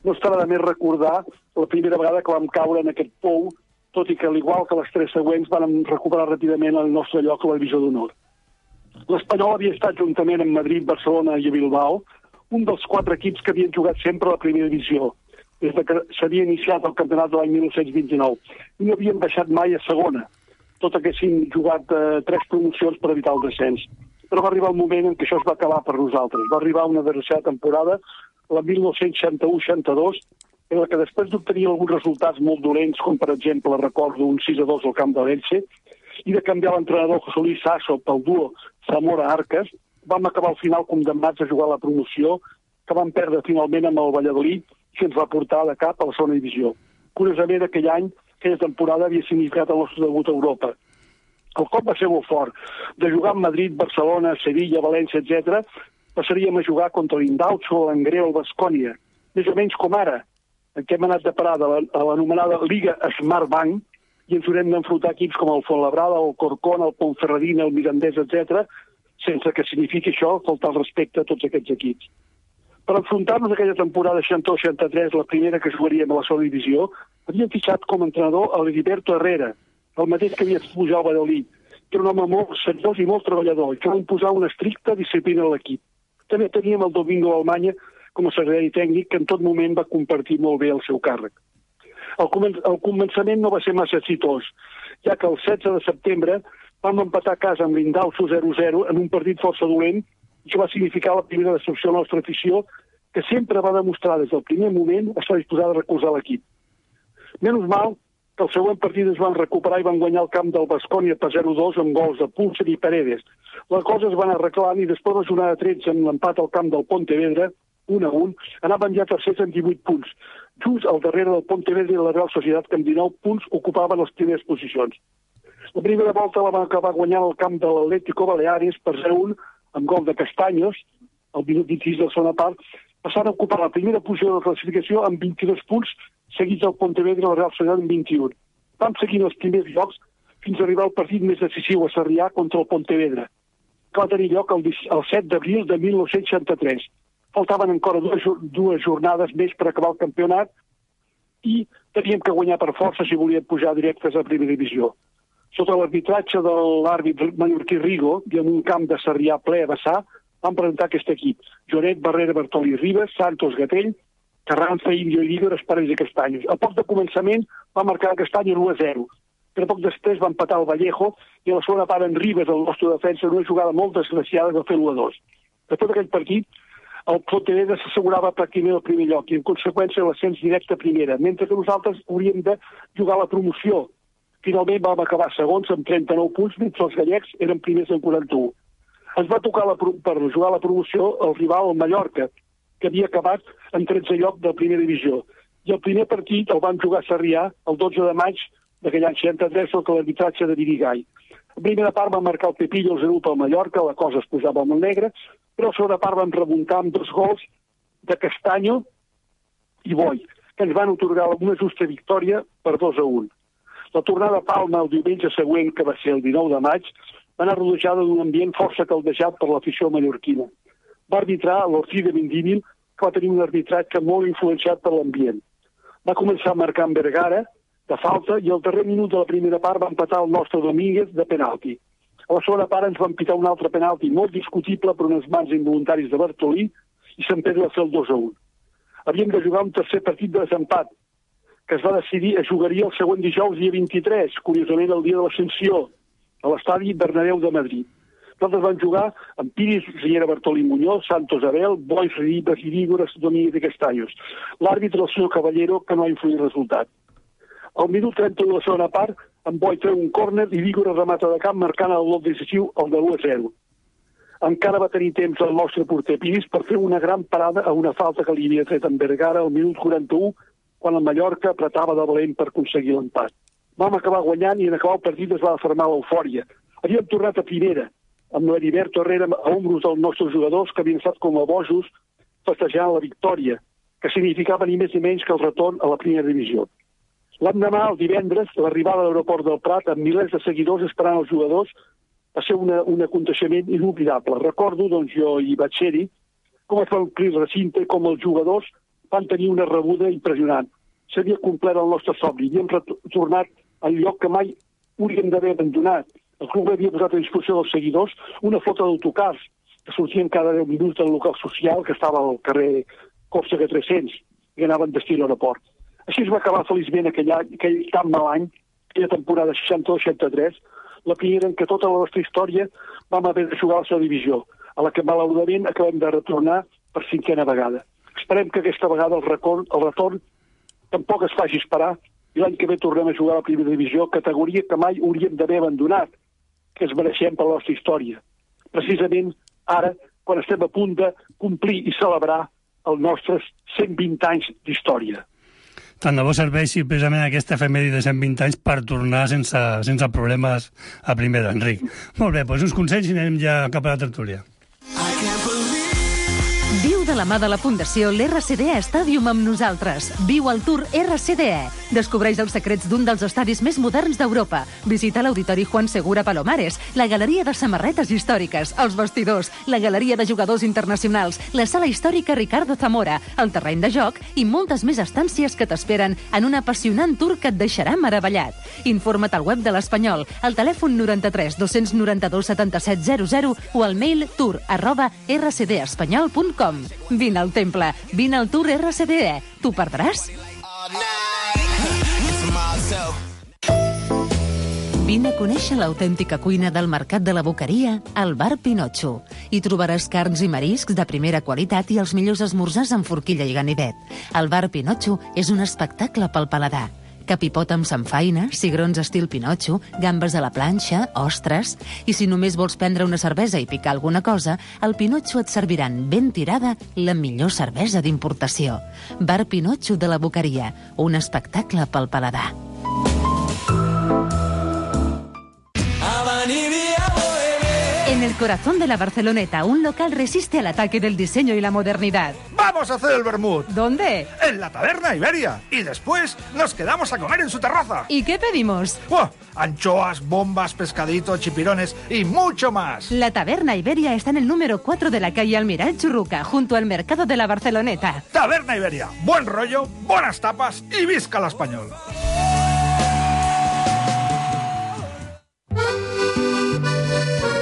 no estarà de més recordar la primera vegada que vam caure en aquest pou, tot i que, al igual que les tres següents, vam recuperar ràpidament el nostre lloc a la divisió d'honor. L'Espanyol havia estat, juntament amb Madrid, Barcelona i Bilbao, un dels quatre equips que havien jugat sempre a la primera divisió, des que s'havia iniciat el campionat de l'any mil nou-cents vint-i-nou, i no havien baixat mai a segona, tot haguessin jugat eh, tres promocions per evitar el descens. Però va arribar el moment en què això es va acabar per nosaltres. Va arribar una tercera temporada, la mil nou-cents seixanta-u seixanta-dos, en la que després d'obtenir alguns resultats molt dolents, com per exemple recordo un sis a dos al camp de l'Elche, i de canviar l'entrenador José Luis Sasso pel duo Zamora-Arcas, vam acabar al final condemnats a jugar a la promoció, que vam perdre finalment amb el Valladolid, que ens va portar de cap a la segona divisió. Curiosament, aquell any, aquella temporada havia significat el nostre debut a Europa. El cop va ser molt fort. De jugar amb Madrid, Barcelona, Sevilla, València, etcètera, passaríem a jugar contra l'Indaucho, l'Angreu, el Baskonia, més o menys com ara, en què hem anat de parar a l'anomenada Liga Smart Bank, i ens haurem d'enfrontar equips com el Fuenlabrada, el Corcón, el Ponferradina, el Mirandés, etcètera, sense que signifiqui això faltar el respecte a tots aquests equips. Per enfrontar-nos a aquella temporada seixanta-dos seixanta-tres, la primera que jugaríem a la segona divisió, havíem fitxat com a entrenador a l'Heriberto Herrera, el mateix que havia pujar al Valladolid, que era un home molt seriós i molt treballador, i que va imposar una estricta disciplina a l'equip. També teníem el Domingo Almanya com a secretari tècnic, que en tot moment va compartir molt bé el seu càrrec. El, comen el començament no va ser massa exitós, ja que el setze de setembre vam empatar a casa amb l'Indaucho zero a zero en un partit força dolent, i que va significar la primera decepció a la nostra afició, que sempre va demostrar des del primer moment estar disposada a recolzar l'equip. Menys mal que el següent partit es van recuperar i van guanyar el camp del Baskonia per zero a dos amb gols de Pulser i Paredes. Les coses es van arreglar i després de la jornada tretze amb l'empat al camp del Pontevedra, un a un, anaven ja tercers amb divuit punts. Just al darrere del Pontevedra i la Real Societat, que amb dinou punts ocupaven les primeres posicions. La primera volta la van acabar guanyant al camp de l'Atlético Baleares per zero a un amb gol de Castaños, al minut vint-i-sis de la segona part, passant a ocupar la primera posició de la classificació amb vint-i-dos punts, seguits del Pontevedra i la Real Societat amb vint-i-un. Vam seguir els primers llocs fins a arribar al partit més decisiu a Sarrià contra el Pontevedra, que va tenir lloc el, el set d'abril de mil nou-cents seixanta-tres. Faltaven encara dues, dues jornades més per acabar el campionat i teníem que guanyar per força si volíem pujar directes a primera divisió. Sota l'arbitratge de l'àrbit mallorquí Rigo i en un camp de Sarrià ple a vessar, van presentar aquest equip. Jonet, Barrera, Bartoli, Ribas, Santos, Gatell, Carranza, Indio i Líder, Espares i Castanyos. A poc de començament va marcar Castanyos u a zero, però poc després va empatar el Vallejo i a la segona part en Ribas, el nostre defensa, en una jugada molt desgraciada va fer l'u a dos. Després d'aquell partit, el Pontevedra s'assegurava pràcticament el primer lloc i en conseqüència l'ascens directe a primera, mentre que nosaltres hauríem de jugar la promoció. Finalment vam acabar segons amb trenta-nou punts, mentre els gallecs eren primers amb quaranta-u. Ens va tocar la, per jugar la promoció el rival, el Mallorca, que havia acabat en tretzè lloc de la primera divisió. I el primer partit el van jugar a Sarrià el dotze de maig d'aquell any seixanta-tres sota l'arbitratge de Virigai. La primera part va marcar el Pepillo el zero pel Mallorca, la cosa es posava molt negra, però a la segona part van remuntar amb dos gols de Castanyo i Boi, que ens van otorgar una justa victòria per dos a un. La tornada a Palma el diumenge següent, que va ser el dinou de maig, va anar rodejada d'un ambient força caldejat per l'afició mallorquina. Va arbitrar l'Ortiz de Mendívil, que va tenir un arbitratge molt influenciat per l'ambient. Va començar a marcar en Vergara, de falta, i al darrer minut de la primera part va empatar el nostre Domínguez de penalti. A la segona part ens van pitar un altre penalti molt discutible per unes mans involuntaris de Bartolí i Sant Pedro va fer el dos a un. Havíem de jugar un tercer partit de desempat, que es va decidir, es jugaria el següent dijous, dia vint-i-tres, curiosament el dia de l'Ascensió, a l'estadi Bernabéu de Madrid. Nosaltres vam jugar amb Piris, Riera, Bartolí, Muñoz, Santos, Abel, Boix, Ribas, Irígoras, Domínguez i Castaños. L'àrbitre, el senyor Caballero, que no ha influït el resultat. Al minut trenta-u de la segona part, en Boi treu un córner i Irígoras remata de camp marcant el gol decisiu, el de l'u a zero. Encara va tenir temps el nostre porter Piris per fer una gran parada a una falta que li havia tret en Vergara al minut quaranta-u, quan el Mallorca apretava de valent per aconseguir l'empat. Vam acabar guanyant i en acabar el partit es va afermar l'eufòria. Havíem tornat a primera, amb l'Heriberto Herrera a ombros dels nostres jugadors que havien estat com a bojos festejant la victòria, que significava ni més ni menys que el retorn a la primera divisió. L'endemà, el divendres, l'arribada a l'aeroport del Prat amb milers de seguidors esperant els jugadors Va ser una, un aconteixement inolvidable. Recordo, doncs jo hi vaig ser-hi, com es va omplir el recinte, com els jugadors van tenir una rebuda impressionant. S'havia complert el nostre somni, havíem retornat al lloc que mai hauríem d'haver abandonat. El club havia posat a disposició dels seguidors una flota d'autocars que sortien cada deu minuts del local social que estava al carrer Còrsega tres-cents i anaven destí a l'aeroport. Així es va acabar feliçment aquell, any, aquell tan mal any, aquella temporada seixanta-dos seixanta-tres, la primera en què tota la nostra història vam haver de jugar a la seva divisió, a la que malauradament acabem de retornar per cinquena vegada. Esperem que aquesta vegada el retorn, el retorn tampoc es faci esperar i l'any que ve tornem a jugar a la primera divisió, categoria que mai hauríem d'haver abandonat, que es mereixem per la nostra història. Precisament ara, quan estem a punt de complir i celebrar els nostres cent vint anys d'història. Tant de bo serveixi precisament aquesta efemèride de cent vint anys per tornar sense, sense problemes a primera, Enric. Molt bé, doncs uns consells i anem ja cap a la tertúlia. Viu de la mà de la Fundació l'R C D E Stadium amb nosaltres. Viu el Tour R C D E. Descobreix els secrets d'un dels estadis més moderns d'Europa. Visita l'Auditori Juan Segura Palomares, la galeria de samarretes històriques, els vestidors, la galeria de jugadors internacionals, la sala històrica Ricardo Zamora, el terreny de joc i moltes més estàncies que t'esperen en un apassionant tour que et deixarà meravellat. Informa't al web de l'Espanyol, al telèfon noranta-tres dos noranta-dos setanta-set zero zero o al mail tour arroba r c d espanyol punt com. Vine al temple, vine al Tour R C D E. T'ho perdràs? Vine a conèixer l'autèntica cuina del Mercat de la Boqueria al Bar Pinotxo. Hi trobaràs carns i mariscs de primera qualitat i els millors esmorzars amb forquilla i ganivet. El Bar Pinotxo és un espectacle pel paladar. Capipot amb samfaina, cigrons estil Pinotxo, gambes a la planxa, ostres... I si només vols prendre una cervesa i picar alguna cosa, al Pinotxo et serviran ben tirada la millor cervesa d'importació. Bar Pinotxo de la Boqueria, un espectacle pel paladar. En el corazón de la Barceloneta, un local resiste al ataque del diseño y la modernidad. ¡Vamos a hacer el vermut! ¿Dónde? En la Taberna Iberia. Y después nos quedamos a comer en su terraza. ¿Y qué pedimos? ¡Oh! Anchoas, bombas, pescadito, chipirones y mucho más. La Taberna Iberia está en el número cuatro de la calle Almiral Churruca, junto al mercado de la Barceloneta. Taberna Iberia. Buen rollo, buenas tapas y visca l'Espanyol.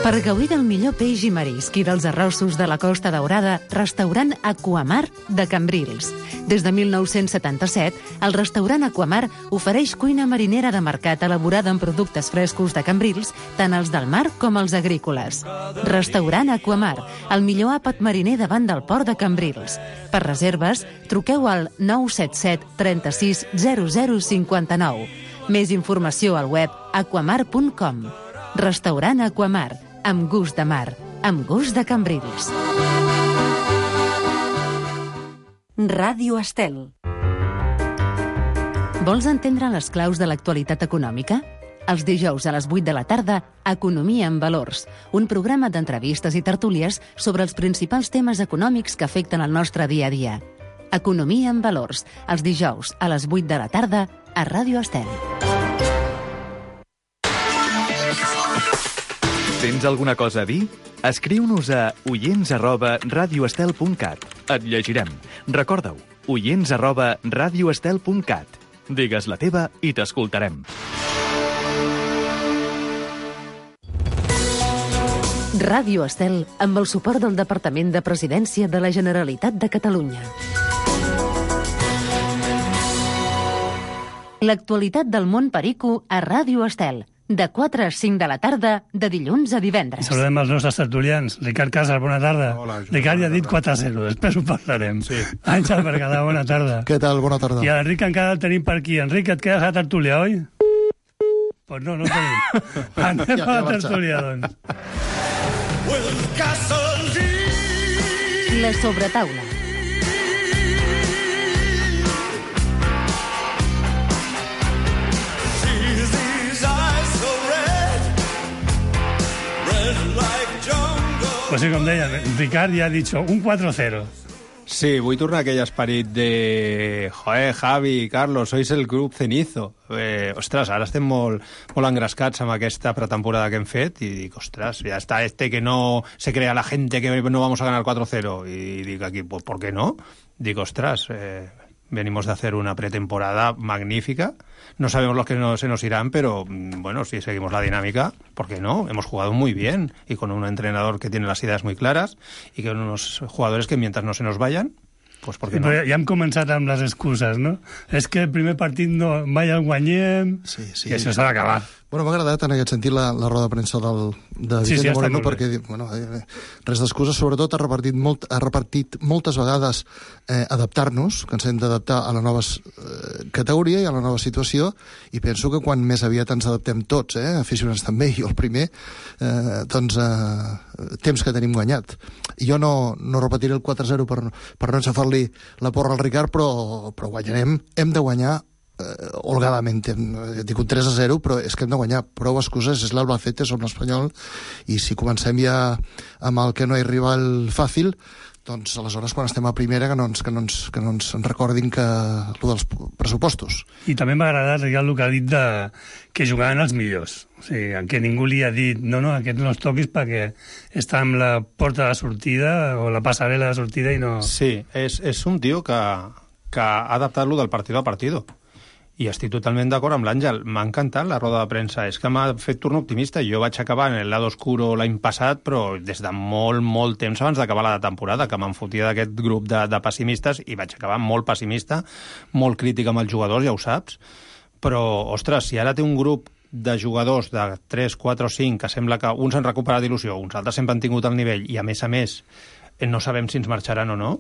Per gaudir del millor peix i marisc i dels arrossos de la Costa Daurada, restaurant Aquamar de Cambrils. Des de mil nou-cents setanta-set, el restaurant Aquamar ofereix cuina marinera de mercat elaborada amb productes frescos de Cambrils, tant els del mar com els agrícoles. Restaurant Aquamar, el millor àpat mariner davant del port de Cambrils. Per reserves, truqueu al nou set set trenta-sis zero zero cinquanta-nou. Més informació al web aquamar punt com. Restaurant Aquamar, amb gust de mar, amb gust de Cambrils. Ràdio Estel. Vols entendre les claus de l'actualitat econòmica? Els dijous a les vuit de la tarda, Economia en Valors, un programa d'entrevistes i tertúlies sobre els principals temes econòmics que afecten el nostre dia a dia. Economia en Valors, els dijous a les vuit de la tarda a Ràdio Estel. Tens alguna cosa a dir? Escriu-nos a oients arroba radioestel punt cat. Et llegirem. Recorda-ho, oients arroba radioestel punt cat. Digues la teva i t'escoltarem. Ràdio Estel, amb el suport del Departament de Presidència de la Generalitat de Catalunya. L'actualitat del món perico a Ràdio Estel. De quatre a cinc de la tarda, de dilluns a divendres. Saludem els nostres tertulians. Ricard Casas, bona tarda. Hola, Ricard ja ha dit quatre a zero, després ho parlarem. Sí. Àngel Berguedà, bona tarda. Què tal? Bona tarda. I l'Enric encara el tenim per aquí. Enric, et quedes a la tertúlia, oi? Pues no, no el tenim. Anem ja, a la tertúlia, doncs. La sobretaula. Pues sí, com deia, Ricard ja ha dit un quatre a cero. Sí, vull tornar a aquell esperit de... Joder, Javi, Carlos, sois el grup cenizo. Eh, ostres, ara estem molt, molt engrescats amb aquesta pretemporada que hem fet i dic, ostres, ja està este que no se crea la gente que no vamos a ganar cuatro cero. Y dic aquí, pues, ¿por qué no? Digo, ostras, eh, venimos de hacer una pretemporada magnífica. No sabemos los que no, se nos irán, pero bueno, si seguimos la dinámica, ¿por qué no? Hemos jugado muy bien y con un entrenador que tiene las ideas muy claras y con unos jugadores que mientras no se nos vayan, pues ¿por qué no? Ja hem començat amb les excuses, no? És que el primer partit no, mai el guanyem, sí, sí. I això s'ha d'acabar. Bueno, m'ha agradat en aquest sentit la, la roda de premsa del, de sí, Vicente sí, Moreno, perquè bueno, eh, res d'excuses, sobretot ha repartit, molt, ha repartit moltes vegades eh, adaptar-nos, que ens hem d'adaptar a la nova eh, categoria i a la nova situació, i penso que quan més aviat ens adaptem tots, eh, aficionats també, i jo el primer, eh, doncs eh, temps que tenim guanyat. Jo no, no repetiré el quatre zero per, per no enxafar-li la porra al Ricard, però, però guanyarem, hem de guanyar holgadament, dic un tres a zero, però és que hem de guanyar. Prou excuses, és l'Albacete, som l'Espanyol, i si comencem ja amb el que no hi arriba el fàcil, doncs aleshores quan estem a primera que no ens, que no ens, que no ens recordin que el dels pressupostos. I també m'ha agradat el que ha dit de que jugaven els millors. O sigui, que ningú li ha dit no, no, aquest no els toquis perquè està amb la porta de sortida o la passarel·la de sortida i no... Sí, és, és un tio que, que ha adaptat-lo del partido a partido. I estic totalment d'acord amb l'Àngel. M'ha encantat la roda de premsa. És que m'ha fet turno optimista. Jo vaig acabar en el lado oscuro l'any passat, però des de molt, molt temps abans d'acabar la temporada, que me'n fotia d'aquest grup de, de pessimistes, i vaig acabar molt pessimista, molt crític amb els jugadors, ja ho saps. Però, ostres, si ara té un grup de jugadors de tres, quatre o cinc, que sembla que uns han recuperat il·lusió, uns altres sempre han tingut el nivell, i a més a més no sabem si ens marxaran o no,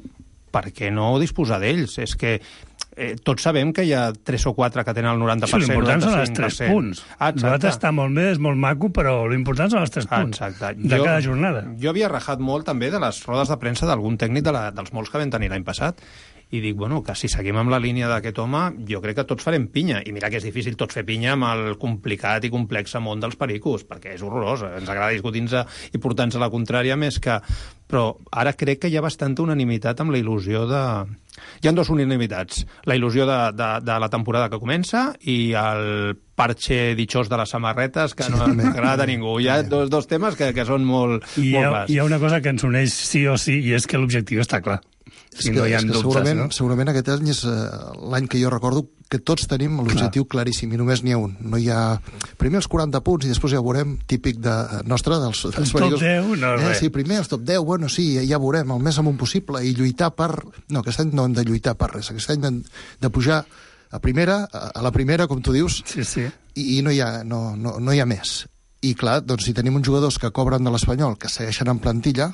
per què no disposar d'ells? És que eh, tots sabem que hi ha tres o quatre que tenen el noranta per cent. Sí, l'important són els tres punts. Ah, nosaltres està molt bé, és molt maco, però l'important són els tres punts Exacte. de jo, cada jornada. Jo havia rajat molt també de les rodes de premsa d'algun tècnic de la, dels molts que vam tenir l'any passat, i dic, bueno, que si seguim amb la línia d'aquest home, jo crec que tots farem pinya. I mira que és difícil tots fer pinya amb el complicat i complex món dels pericos, perquè és horrorós. Ens agrada discutir-nos i portar-nos a la contrària més que... Però ara crec que hi ha bastanta unanimitat amb la il·lusió de... Hi ha dues unanimitats. La il·lusió de, de, de la temporada que comença i el parche ditxós de les samarretes que no sí, agrada a ningú. Hi ha dos, dos temes que, que són molt, I molt ha, clars. Hi ha una cosa que ens uneix sí o sí, i és que l'objectiu està clar. És que, no hi ha és que dubtes, segurament, no? segurament aquest any és uh, l'any que jo recordo que tots tenim l'objectiu claríssim i només n'hi ha un. No hi ha primer els quaranta punts i després ja veurem, típic de nostre, dels, dels el top deu, no eh, sí, primer els top deu, bueno, sí, ja veurem, el més amunt possible i lluitar per... No, aquest any no hem de lluitar per res, aquest any hem de pujar a primera, a la primera, com tu dius, sí, sí. I, i no, hi ha, no, no, no hi ha més. I clar, doncs si tenim uns jugadors que cobren de l'Espanyol, que segueixen en plantilla,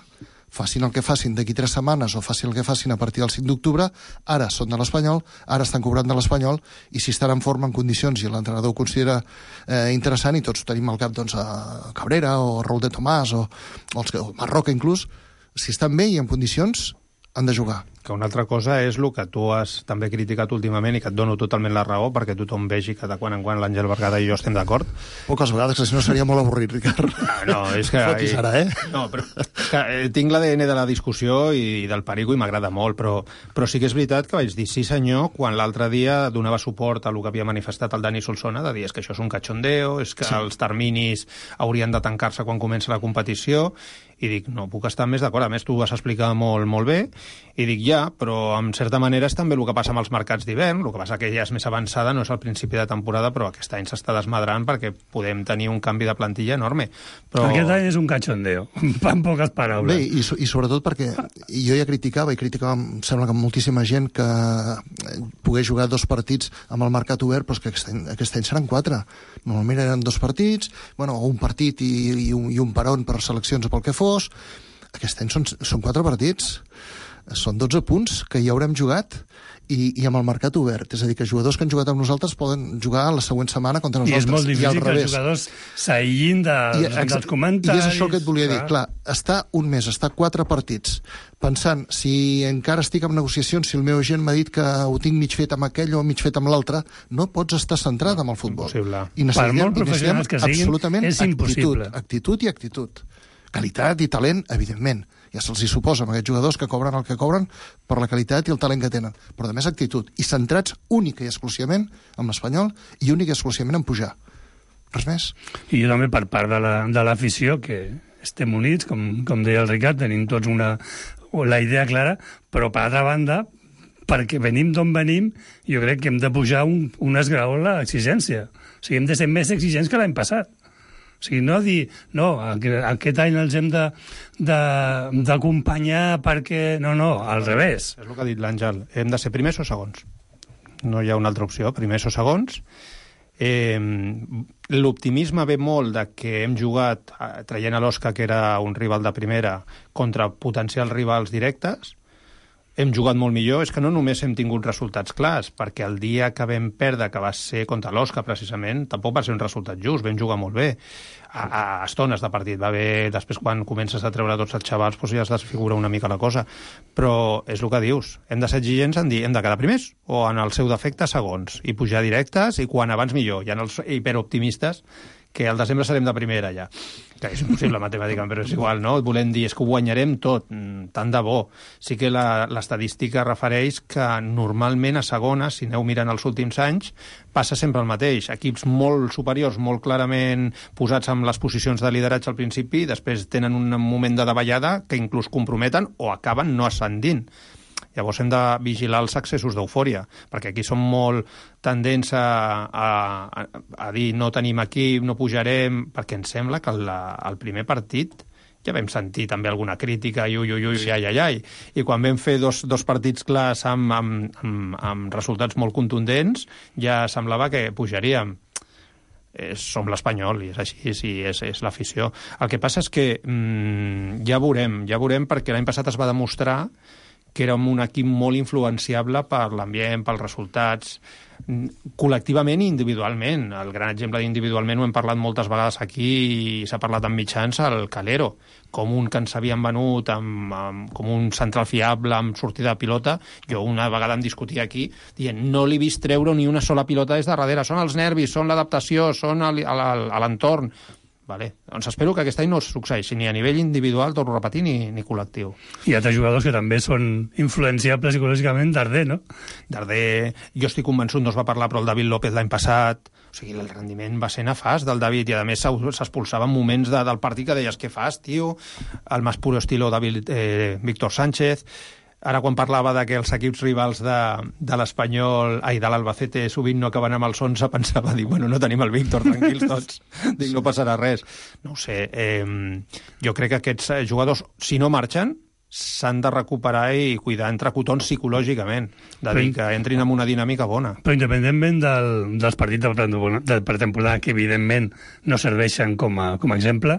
facin el que facin d'aquí tres setmanes o facin el que facin a partir del cinc d'octubre, ara són de l'Espanyol, ara estan cobrant de l'Espanyol, i si estan en forma, en condicions, i l'entrenador ho considera eh, interessant, i tots tenim al cap doncs, a Cabrera o a Raúl de Tomàs o, o, els, o Marroca inclús, si estan bé i en condicions, han de jugar. Que una altra cosa és el que tu has també criticat últimament i que et dono totalment la raó perquè tothom vegi que de quan en quan l'Àngel Bergada i jo estem d'acord. Poques vegades, que si no seria molt avorrit, Ricard. Ah, no, és que... Fotis ara, eh? No, però que, eh, tinc l'A D N de la discussió i del perico i m'agrada molt, però, però sí que és veritat que vaig dir sí senyor quan l'altre dia donava suport a el que havia manifestat el Dani Solsona, de dir és que això és un cachondeo, és que sí. Els terminis haurien de tancar-se quan comença la competició, i dic, no puc estar més d'acord. A més, tu ho vas explicar molt, molt bé, i dic, ja, però en certa manera és també el que passa amb els mercats d'hivern, el que passa que ja és més avançada, no és al principi de temporada, però aquest any s'està desmadrant perquè podem tenir un canvi de plantilla enorme. Però... Aquest any és un cachondeo, en poques paraules. Bé, i, i sobretot perquè jo ja criticava, i criticava, em sembla que moltíssima gent, que pogués jugar dos partits amb el mercat obert, però és que aquest any, aquest any seran quatre. Normalment eren dos partits, bueno, un partit i, i, un, i un peron per seleccions o pel que fos. Aquest any són, són quatre partits. Són dotze punts que ja haurem jugat i, i amb el mercat obert. És a dir, que jugadors que han jugat amb nosaltres poden jugar la següent setmana contra nosaltres. I és molt difícil que els jugadors s'aïllin de, I, dels comentaris. I és això que et volia dir. Clar, està un mes, està quatre partits, pensant si encara estic en negociacions, si el meu agent m'ha dit que ho tinc mig fet amb aquell o mig fet amb l'altre, no pots estar centrat amb el futbol. Impossible. I per molt professionals que siguin, absolutament és impossible. Actitud, actitud i actitud. Qualitat i talent, evidentment. ja se'ls hi suposa amb aquests jugadors que cobren el que cobren per la qualitat i el talent que tenen, però de més actitud, i centrats única i exclusivament amb l'Espanyol i única i exclusivament en pujar. Res més. I jo també per part de la, de l'afició, que estem units, com, com deia el Ricard, tenim tots una, la idea clara, però per altra banda, perquè venim d'on venim, jo crec que hem de pujar un, un esgraó en l'exigència. O sigui, hem de ser més exigents que l'any passat. O sigui, no dir, no, aquest any els hem d'acompanyar perquè... No, no, al revés. És el que ha dit l'Àngel. Hem de ser primers o segons. No hi ha una altra opció, primers o segons. Eh, l'optimisme ve molt de que hem jugat, traient a l'Osca, que era un rival de primera, contra potencials rivals directes. Hem jugat molt millor, és que no només hem tingut resultats clars, perquè el dia que vam perdre, que va ser contra l'Osca, precisament, tampoc va ser un resultat just, vam jugar molt bé, a, a estones de partit, va bé, després quan comences a treure tots els xavals, doncs ja es desfigura una mica la cosa, però és el que dius, hem de ser exigents en dir, hem de quedar primers, o en el seu defecte segons, i pujar directes, i quan abans millor, i en els hiperoptimistes, que al desembre serem de primera ja, que és impossible matemàticament, però és igual, no? Volem dir, és que ho guanyarem tot, tant de bo. Sí que l'estadística refereix que normalment a segona, si aneu mirant els últims anys, passa sempre el mateix. Equips molt superiors, molt clarament posats en les posicions de lideratge al principi, després tenen un moment de davallada que inclús comprometen o acaben no ascendint. Llavors hem de vigilar els accessos d'eufòria, perquè aquí som molt tendents a, a, a dir no tenim equip, no pujarem, perquè ens sembla que el, el primer partit ja vam sentir també alguna crítica, i ui, ui, ui, ai, ai, ai. I quan vam fer dos, dos partits clars amb, amb, amb, amb resultats molt contundents, ja semblava que pujaríem. És, som l'Espanyol, i és així, sí, és, és l'afició. El que passa és que mmm, ja veurem, ja veurem, perquè l'any passat es va demostrar que érem un equip molt influenciable per l'ambient, pels resultats, col·lectivament i individualment. El gran exemple d'individualment ho hem parlat moltes vegades aquí i s'ha parlat en mitjans, el Calero, com un que ens havien venut amb, amb, com un central fiable amb sortida de pilota. Jo una vegada em discutia aquí dient no li he vist treure ni una sola pilota des de darrere, són els nervis, són l'adaptació, són a l'entorn. Vale. Doncs espero que aquest any no succeeixi ni a nivell individual, torno a repetir, ni, ni col·lectiu. Hi ha altres jugadors que també són influenciables psicològicament. Darder, no? Darder, jo estic convençut, no es va parlar, però el David López l'any passat, o sigui, el rendiment va ser nefast del David, i a més s'expulsava en moments de, del partit que deies, què fas, tio? El més puro estilo David, eh, Víctor Sánchez. Ara, quan parlava de que els equips rivals de, de l'Espanyol, ai, de l'Albacete, sovint no acaben amb els onze, pensava, dir, bueno, no tenim el Víctor, tranquils tots, dic, no passarà res. No ho sé, eh, jo crec que aquests jugadors, si no marxen, s'han de recuperar i cuidar entre cotons psicològicament, de dir que entrin en una dinàmica bona. Però independentment del, dels partits de pretemporada, que evidentment no serveixen com a, com a exemple,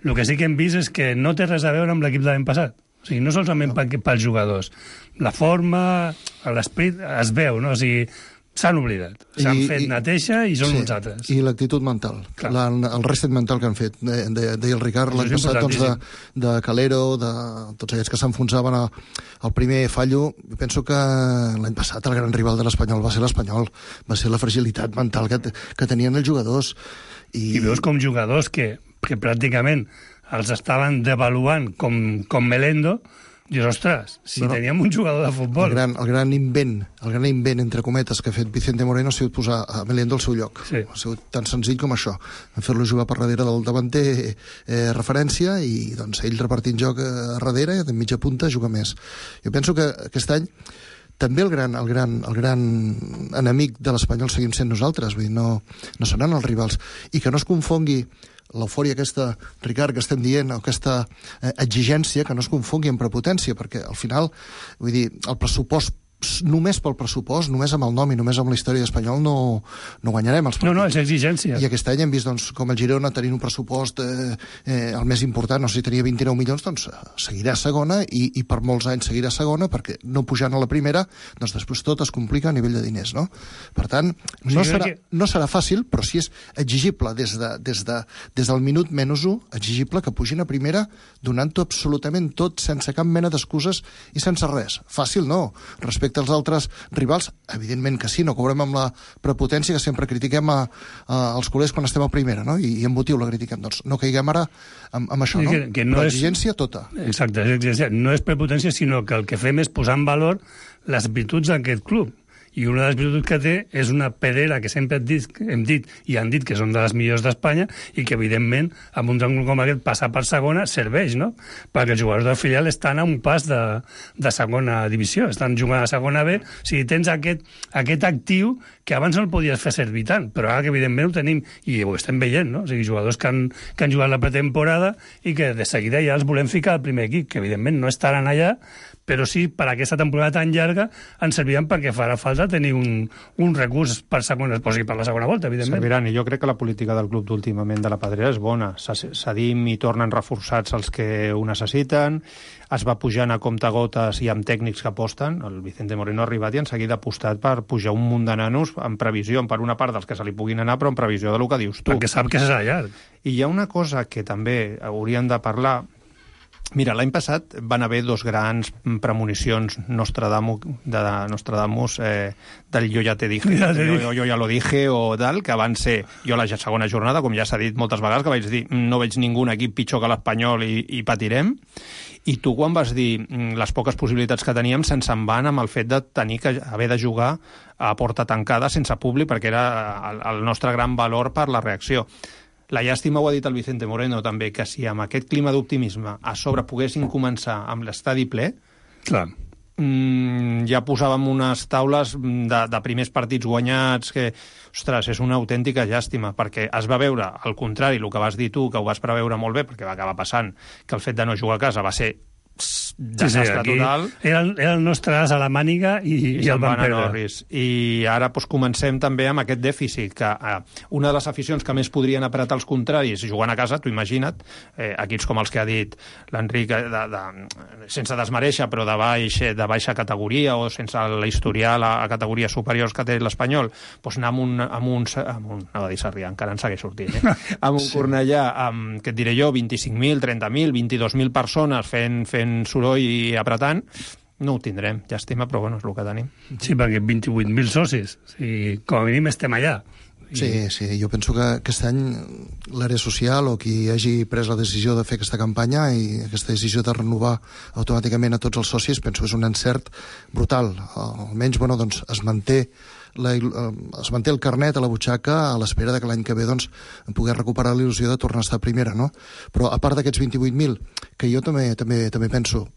el que sí que hem vist és que no té res a veure amb l'equip de l'any passat. O sigui, no solament no. pels jugadors. La forma, l'esperit, es veu, no? O sigui, s'han oblidat. S'han fet i, neteja i són sí, uns altres. I l'actitud mental. La, el reset mental que han fet. Deia de, de el Ricard l'any passat, doncs, de, de Calero, de tots aquests que s'enfonsaven al primer fallo. Jo penso que l'any passat el gran rival de l'Espanyol va ser l'Espanyol. Va ser la fragilitat mental que, que tenien els jugadors. I, I veus com jugadors que, que pràcticament els estaven devaluant com, com Melendo. Dius, ostres, si no, no. teníem un jugador de futbol... El gran, el gran invent, el gran invent, entre cometes, que ha fet Vicente Moreno ha sigut posar a Melendo al seu lloc. Sí. Ha sigut tan senzill com això. Fer-lo jugar per darrere del davanter eh, referència i doncs, ell repartint joc a darrere i de mitja punta juga més. Jo penso que aquest any també el gran, el gran, el gran enemic de l'Espanyol seguim sent nosaltres, vull dir, no, no seran els rivals. I que no es confongui l'eufòria aquesta, Ricard, que estem dient, o aquesta eh, exigència, que no es confongui amb prepotència, perquè al final, vull dir, el pressupost, només pel pressupost, només amb el nom i només amb la història espanyol no, no guanyarem els partits. No, no, és exigència. I aquest any hem vist doncs, com el Girona tenint un pressupost eh, eh, el més important, no sé si tenia vint-i-nou milions, doncs seguirà a segona i, i per molts anys seguirà a segona, perquè no pujant a la primera, doncs després tot es complica a nivell de diners, no? Per tant, no, sí, serà, que... no serà fàcil, però sí és exigible des, de, des, de, des del minut menys u, exigible que pugin a primera donant-ho absolutament tot, sense cap mena d'excuses i sense res. Fàcil no, respecte respecte als altres rivals? Evidentment que sí, no cobrem amb la prepotència que sempre critiquem a, a, als culers quan estem a primera, no? I, i amb motiu la critiquem. Doncs no caiguem ara amb, amb això, no? Que, que no Però és... exigència tota. Exacte, exigència. No és prepotència, sinó que el que fem és posar en valor les virtuts d'aquest club. I una de les virtuts que té és una pedrera que sempre hem dit, hem dit i han dit que són de les millors d'Espanya i que, evidentment, amb un triangle com aquest, passar per segona serveix, no? Perquè els jugadors del filial estan a un pas de, de segona divisió, estan jugant a segona B. O sigui, tens aquest, aquest actiu que abans no el podies fer servir tant, però ara que, evidentment, ho tenim i ho estem veient, no? O sigui, jugadors que han, que han jugat la pretemporada i que de seguida ja els volem ficar al primer equip, que, evidentment, no estaran allà, però sí, per aquesta temporada tan llarga ens serviran perquè farà falta tenir un, un recurs per, segona, o sigui, per la segona volta, evidentment. Serviran, i jo crec que la política del club d'últimament de la Pedrera és bona. Cedim i tornen reforçats els que ho necessiten, es va pujant a comptagotes i amb tècnics que aposten. El Vicente Moreno ha arribat i en seguida ha apostat per pujar un munt de nanos en previsió, per una part dels que se li puguin anar, però en previsió de lo que dius tu. Perquè sap que serà llarg. I hi ha una cosa que també hauríem de parlar. Mira, l'any passat van haver dos grans premonicions Nostradamus, de Nostradamus eh, del jo ja te dije, ja te jo, jo, jo ja lo dije o tal, que van ser, jo la segona jornada, com ja s'ha dit moltes vegades, que vaig dir, no veig ningú equip pitjor que l'Espanyol i, i patirem, i tu quan vas dir les poques possibilitats que teníem se'ns en van amb el fet de tenir que haver de jugar a porta tancada sense públic, perquè era el, el nostre gran valor per la reacció. La llàstima, ho ha dit el Vicente Moreno també, que si amb aquest clima d'optimisme a sobre poguessin començar amb l'estadi ple, clar, mmm, ja posàvem unes taules de, de primers partits guanyats, que, ostres, és una autèntica llàstima, perquè es va veure, al contrari, el que vas dir tu, que ho vas preveure molt bé, perquè va acabar passant, que el fet de no jugar a casa va ser desastre sí, sí, total. Era el, era el nostre as a la màniga i, i, i el van perdre. I ara doncs, comencem també amb aquest dèficit, que eh, una de les aficions que més podrien apretar els contraris jugant a casa, tu imagina't, eh, equips com els que ha dit l'Enric, de, de, sense desmereixer, però de, baix, de baixa categoria o sense l'historial a, a categories superiors que té l'Espanyol, doncs anar amb un, amb un, amb un no va dir Sarrià, encara en segueix sortint, eh? amb un sí. Cornellà, amb, què et diré jo, vint-i-cinc mil, trenta mil, vint-i-dos mil persones fent, fent soroll i apretant, no ho tindrem, llàstima, però bueno, és el que tenim. Sí, perquè vint-i-vuit mil socis, o sigui, com a mínim estem allà. I... Sí, sí, jo penso que aquest any l'àrea social o qui hagi pres la decisió de fer aquesta campanya i aquesta decisió de renovar automàticament a tots els socis, penso que és un encert brutal. Almenys, bueno, doncs es manté La, es manté el carnet a la butxaca a l'espera de que l'any que ve doncs, poder recuperar la il·lusió de tornar a estar a primera, no? Però a part d'aquests vint-i-vuit mil, que jo també, també, també penso,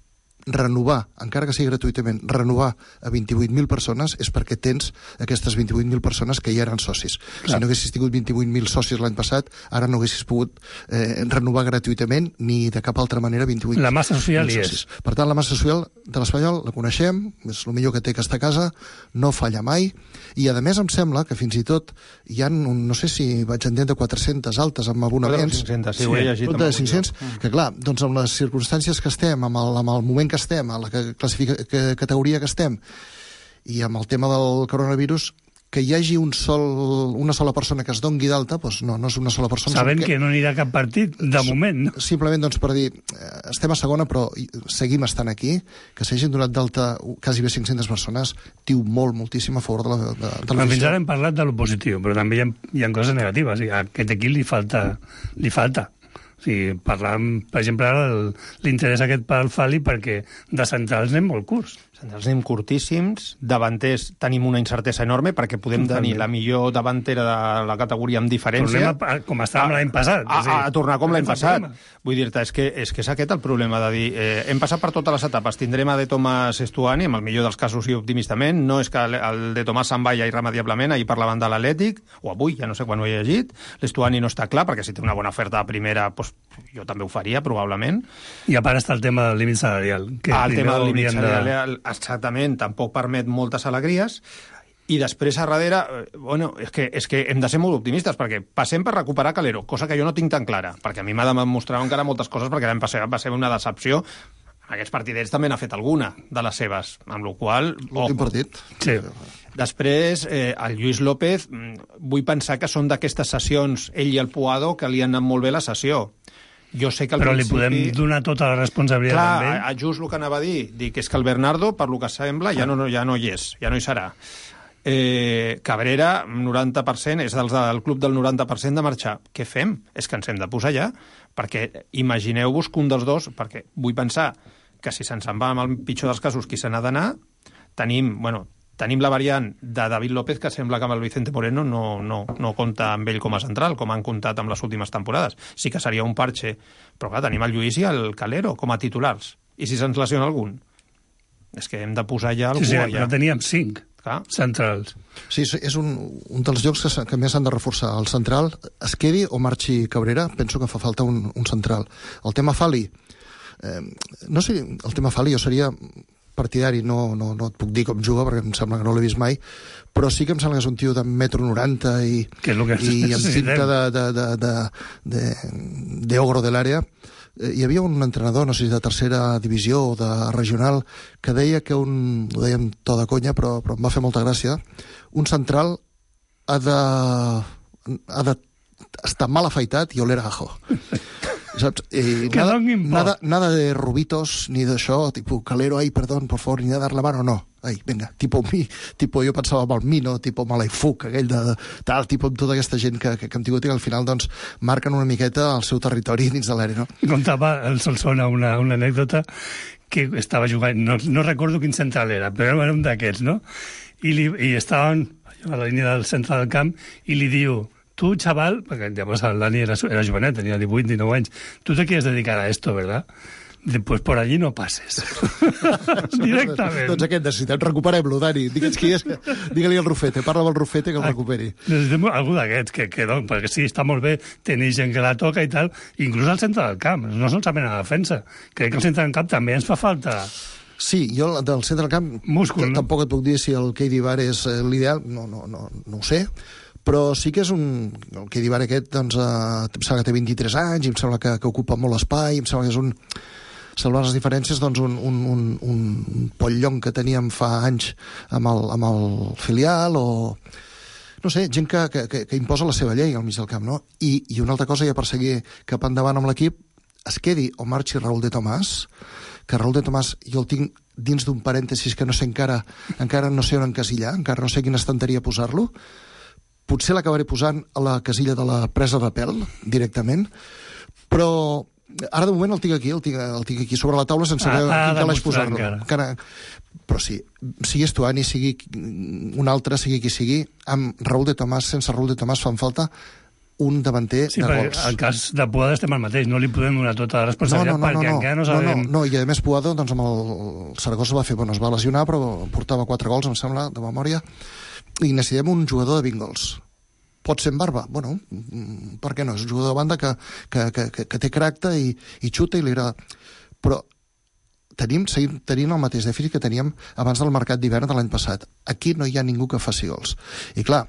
renovar, encara que sigui gratuïtament, renovar a vint-i-vuit mil persones és perquè tens aquestes vint-i-vuit mil persones que ja eren socis. Clar. Si no haguessis tingut vint-i-vuit mil socis l'any passat, ara no haguessis pogut eh, renovar gratuïtament ni de cap altra manera vint-i-vuit mil La massa social hi és. Per tant, la massa social de l'Espanyol la coneixem, és el millor que té aquesta casa, no falla mai, i a més em sembla que fins i tot hi ha, un, no sé si vaig entendre, quatre-centes altes amb abonaments. cinc-cents, sí, ho he llegit. De cinc-cents, que clar, doncs amb les circumstàncies que estem, amb el, amb el moment que estem, a la classifica, que, categoria que estem, i amb el tema del coronavirus, que hi hagi un sol, una sola persona que es dongui d'alta, doncs no, no és una sola persona. Sabem que... que no anirà a cap partit, de moment. No? Simplement doncs, per dir, estem a segona, però seguim estant aquí, que s'hagin donat d'alta quasi bé cinc-centes persones, diu molt, moltíssim a favor de la, de, de la Fins ara hem parlat de lo positiu, però també hi ha, hi ha coses negatives. A aquest equip li falta, li falta. O sigui, parlant, per exemple, l'interès aquest pel Fali, perquè de centrals anem molt curts. Centrals anem curtíssims, davanters tenim una incertesa enorme, perquè podem tenir la millor davantera de la categoria amb diferència. Tornem a, com estàvem l'any passat. A, a, a tornar com l'any passat. Vull dir-te, és que, és que és aquest el problema de dir, eh, hem passat per totes les etapes, tindrem a De Tomàs Estuani, amb el millor dels casos i optimistament, no és que el De Tomàs se'n vaya irremediablement, ahir parlaven de l'Atlètic, o avui, ja no sé quan ho he llegit, l'Estuani no està clar, perquè si té una bona oferta a primera, doncs jo també ho faria, probablement. I a part està el tema del límit salarial. Que ah, el tema del límit salarial, de... exactament, tampoc permet moltes alegries. I després, a darrere, bueno, és que, és que hem de ser molt optimistes, perquè passem per recuperar Calero, cosa que jo no tinc tan clara, perquè a mi m'ha demostrat encara moltes coses, perquè l'any passat va ser una decepció. Aquests partidets també n'ha fet alguna de les seves, amb la qual cosa... L'últim partit. Sí. Després, eh, el Lluís López, vull pensar que són d'aquestes sessions, ell i el Puado, que li han anat molt bé la sessió. Jo sé que al Però principi... li podem donar tota la responsabilitat Clar, amb ell. a, just el que anava a dir, dic, és que el Bernardo, per lo que sembla, ja no, ja no hi és, ja no hi serà. Eh, Cabrera, noranta per cent, és dels, del club del noranta per cent de marxar. Què fem? És que ens hem de posar ja, perquè imagineu-vos que un dels dos, perquè vull pensar que si se'ns en va amb el pitjor dels casos qui se n'ha d'anar, tenim, bueno, tenim la variant de David López, que sembla que amb el Vicente Moreno no, no, no compta amb ell com a central, com han comptat amb les últimes temporades. Sí que seria un parche, però clar, tenim el Lluís i el Calero com a titulars. I si se'ns lesiona algun? És que hem de posar ja algú Sí, sí, allà. però teníem cinc Clar. centrals. Sí, és un, un dels llocs que, que més s'han de reforçar. El central, es quedi o marxi Cabrera, penso que fa falta un, un central. El tema Fali, eh, no sé, el tema Fali jo seria partidari, no, no, no et puc dir com juga, perquè em sembla que no l'he vist mai, però sí que em sembla que és un tio de metro noranta i, que és el que i amb pinta de, de, de, de, de, de ogro de l'àrea. Hi havia un entrenador, no sé si de tercera divisió o de regional, que deia que un, ho deia amb to de conya, però, però em va fer molta gràcia, un central ha de, ha de estar mal afaitat i oler a ajo. Saps? Eh, que nada, donin por. nada, nada de rubitos, ni d'això, tipo, Calero, ai, perdón, por favor, ni de dar la mano, no. Ai, vinga, tipo mi, tipo, jo pensava amb el Mino, tipo Malaifuc, aquell de, tal, tipo amb tota aquesta gent que, que, que hem tingut i que al final, doncs, marquen una miqueta el seu territori dins de l'àrea, no? Contava el Solsona una, una anècdota que estava jugant, no, no recordo quin central era, però era un d'aquests, no? I, li, i estaven a la línia del centre del camp i li diu: tu, chaval, perquè llavors el Dani era, era jovenet, tenia divuit, dinou anys, tu te quieres dedicar a esto, ¿verdad? Dice, pues por allí no pases. Directament. Doncs aquest necessitem, recuperem-lo, Dani. Digue'ns qui és, digue-li al Rufete, parla amb el Rufete que el recuperi. Necessitem algú d'aquests, que, que doncs, perquè sí, està molt bé tenir gent que la toca i tal, inclús al centre del camp, no solament a la defensa. Crec que al centre del camp també ens fa falta... Sí, jo del centre del camp múscul, no? Tampoc et puc dir si el Keidi Bar és l'ideal, no, no, no, no ho sé, però sí que és un... El Keidi Bar aquest, doncs, eh, em sembla que té vint-i-tres anys, i em sembla que, que ocupa molt espai, em sembla que és un... Salvant les diferències, doncs, un, un, un, un pollong que teníem fa anys amb el, amb el filial, o... No sé, gent que, que, que, que imposa la seva llei al mig del camp, no? I, i una altra cosa, ja per seguir cap endavant amb l'equip, es quedi o marxi Raúl de Tomàs, que Raúl de Tomàs jo el tinc dins d'un parèntesis que no sé encara, encara no sé on encasillar, encara no sé quina estanteria posar-lo. Potser l'acabaré posant a la casilla de la presa de pèl, directament, però ara de moment el tinc aquí, el tinc, el tinc aquí sobre la taula sense Ah, veure ha quin de calaix mostrar posar-lo. encara. Encara... Però sí, sigui Estuani, sigui un altre, sigui qui sigui, amb Raúl de Tomàs, sense Raúl de Tomàs fan falta un davanter Sí, de perquè gols. al cas de Puada estem al mateix, no li podem donar tota la responsabilitat perquè encara no sabem... No, no, no, i a més Puado, doncs amb el Saragossa va fer, bueno, es va lesionar, però portava quatre gols, em sembla, de memòria, i necessitem un jugador de vint gols. Pot ser en barba? Bueno, per què no? És un jugador de banda que, que, que, que, que té caràcter i, i xuta i li agrada. Però tenim, seguim tenint el mateix dèficit que teníem abans del mercat d'hivern de l'any passat. Aquí no hi ha ningú que faci gols. I clar,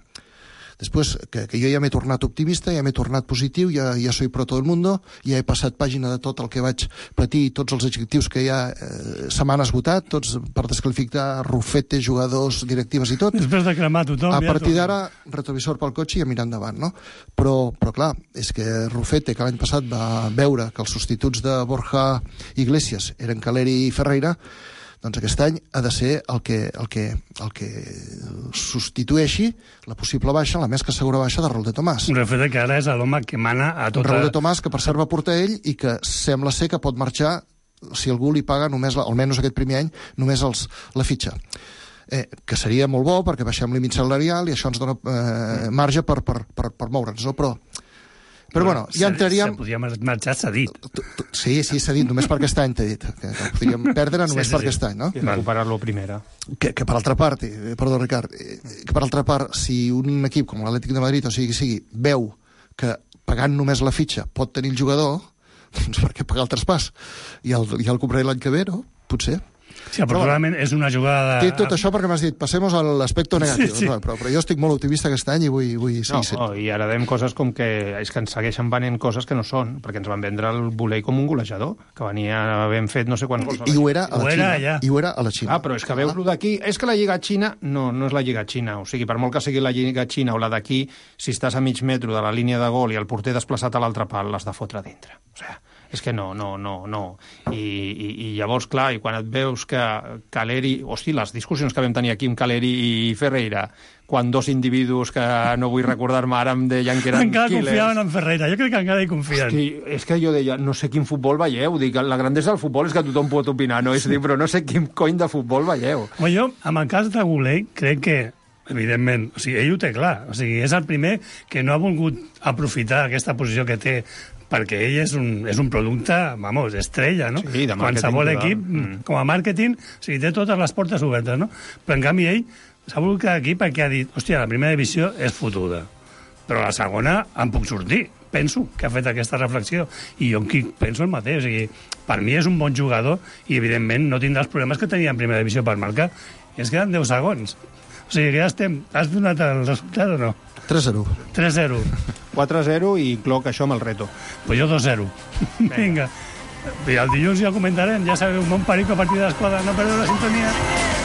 després, que, que jo ja m'he tornat optimista, ja m'he tornat positiu, ja, ja soy pro todo el mundo, ja he passat pàgina de tot el que vaig patir i tots els adjectius que ja eh, se m'han esgotat, tots per descalificar Rufete, jugadors, directives i tot. Després de cremar tothom... A ja partir tot. d'ara, retrovisor pel cotxe i a mirar endavant, no? Però, però clar, és que Rufete, que l'any passat va veure que els substituts de Borja Iglesias eren Caleri i Ferreira, doncs aquest any ha de ser el que, el que, el que substitueixi la possible baixa, la més que segura baixa de Raúl de Tomàs. Un refet que ara és l'home que mana a tota... Raúl de Tomàs, que per cert va portar ell i que sembla ser que pot marxar si algú li paga només, la, almenys aquest primer any, només els, la fitxa. Eh, que seria molt bo perquè baixem límit salarial i això ens dona eh, marge per, per, per, per moure'ns, no? Però Però bueno, ja entraríem... Se podia marxar cedit. Sí, sí, cedit, només per aquest any, t'he dit. Que, que podríem perdre només sí, sí, per aquest any, no? I recuperar-lo primera. Que, que per altra part, eh, perdó, Ricard, eh, que per altra part, si un equip com l'Atlètic de Madrid, o sigui que sigui, veu que pagant només la fitxa pot tenir el jugador, doncs per què pagar el traspàs? I el, ja el compraré l'any que ve, no? Potser. Sí, aproximadament és una jugada... Té tot això perquè m'has dit, passemos a l'aspecte negatiu. Sí, sí. Però, però jo estic molt optimista aquest any i vull, vull seguir sent. No, i ara dèiem coses com que és que ens segueixen venent coses que no són, perquè ens van vendre el Volei com un golejador, que venia ben fet no sé quants gols. I, i ho era a la ho Xina. Era I ho era a la Xina. Ah, però és que veus-lo d'aquí... És que la Lliga Xina no, no és la Lliga Xina. O sigui, per molt que sigui la Lliga Xina o la d'aquí, si estàs a mig metro de la línia de gol i el porter desplaçat a l'altre pal, l'has de fotre a dintre. O sigui, És que no, no, no, no. I, i, i llavors, clar, i quan et veus que Caleri... Hosti, les discussions que vam tenir aquí amb Caleri i Ferreira, quan dos individus que no vull recordar-me ara em deien que eren encara killers... Encara confiaven en Ferreira, jo crec que encara hi confien. Hosti, és que jo deia, no sé quin futbol veieu, dic, la grandesa del futbol és que tothom pot opinar, no? És dir, però no sé quin cony de futbol veieu. Home, jo, amb el cas de Goulet, crec que evidentment, o sigui, ell ho té clar, o sigui, és el primer que no ha volgut aprofitar aquesta posició que té perquè ell és un, és un producte, vamos, estrella, no? Sí, de qualsevol total. equip, mm. com a màrqueting, o sigui, té totes les portes obertes, no? Però, en canvi, ell s'ha volgut quedar aquí perquè ha dit, hòstia, la primera divisió és fotuda, però la segona em puc sortir. Penso que ha fet aquesta reflexió, i jo aquí penso el mateix, o sigui, per mi és un bon jugador i, evidentment, no tindrà els problemes que tenia en primera divisió per marcar, i es queden deu segons. O sigui, que ja estem... Has donat el resultat o no? tres zero. tres zero. quatre zero i cloc això amb el reto. Pues jo dos zero. Vinga. I el dilluns ja comentarem, ja sabeu, un bon perico a partir de les quatre, no perdeu la sintonia.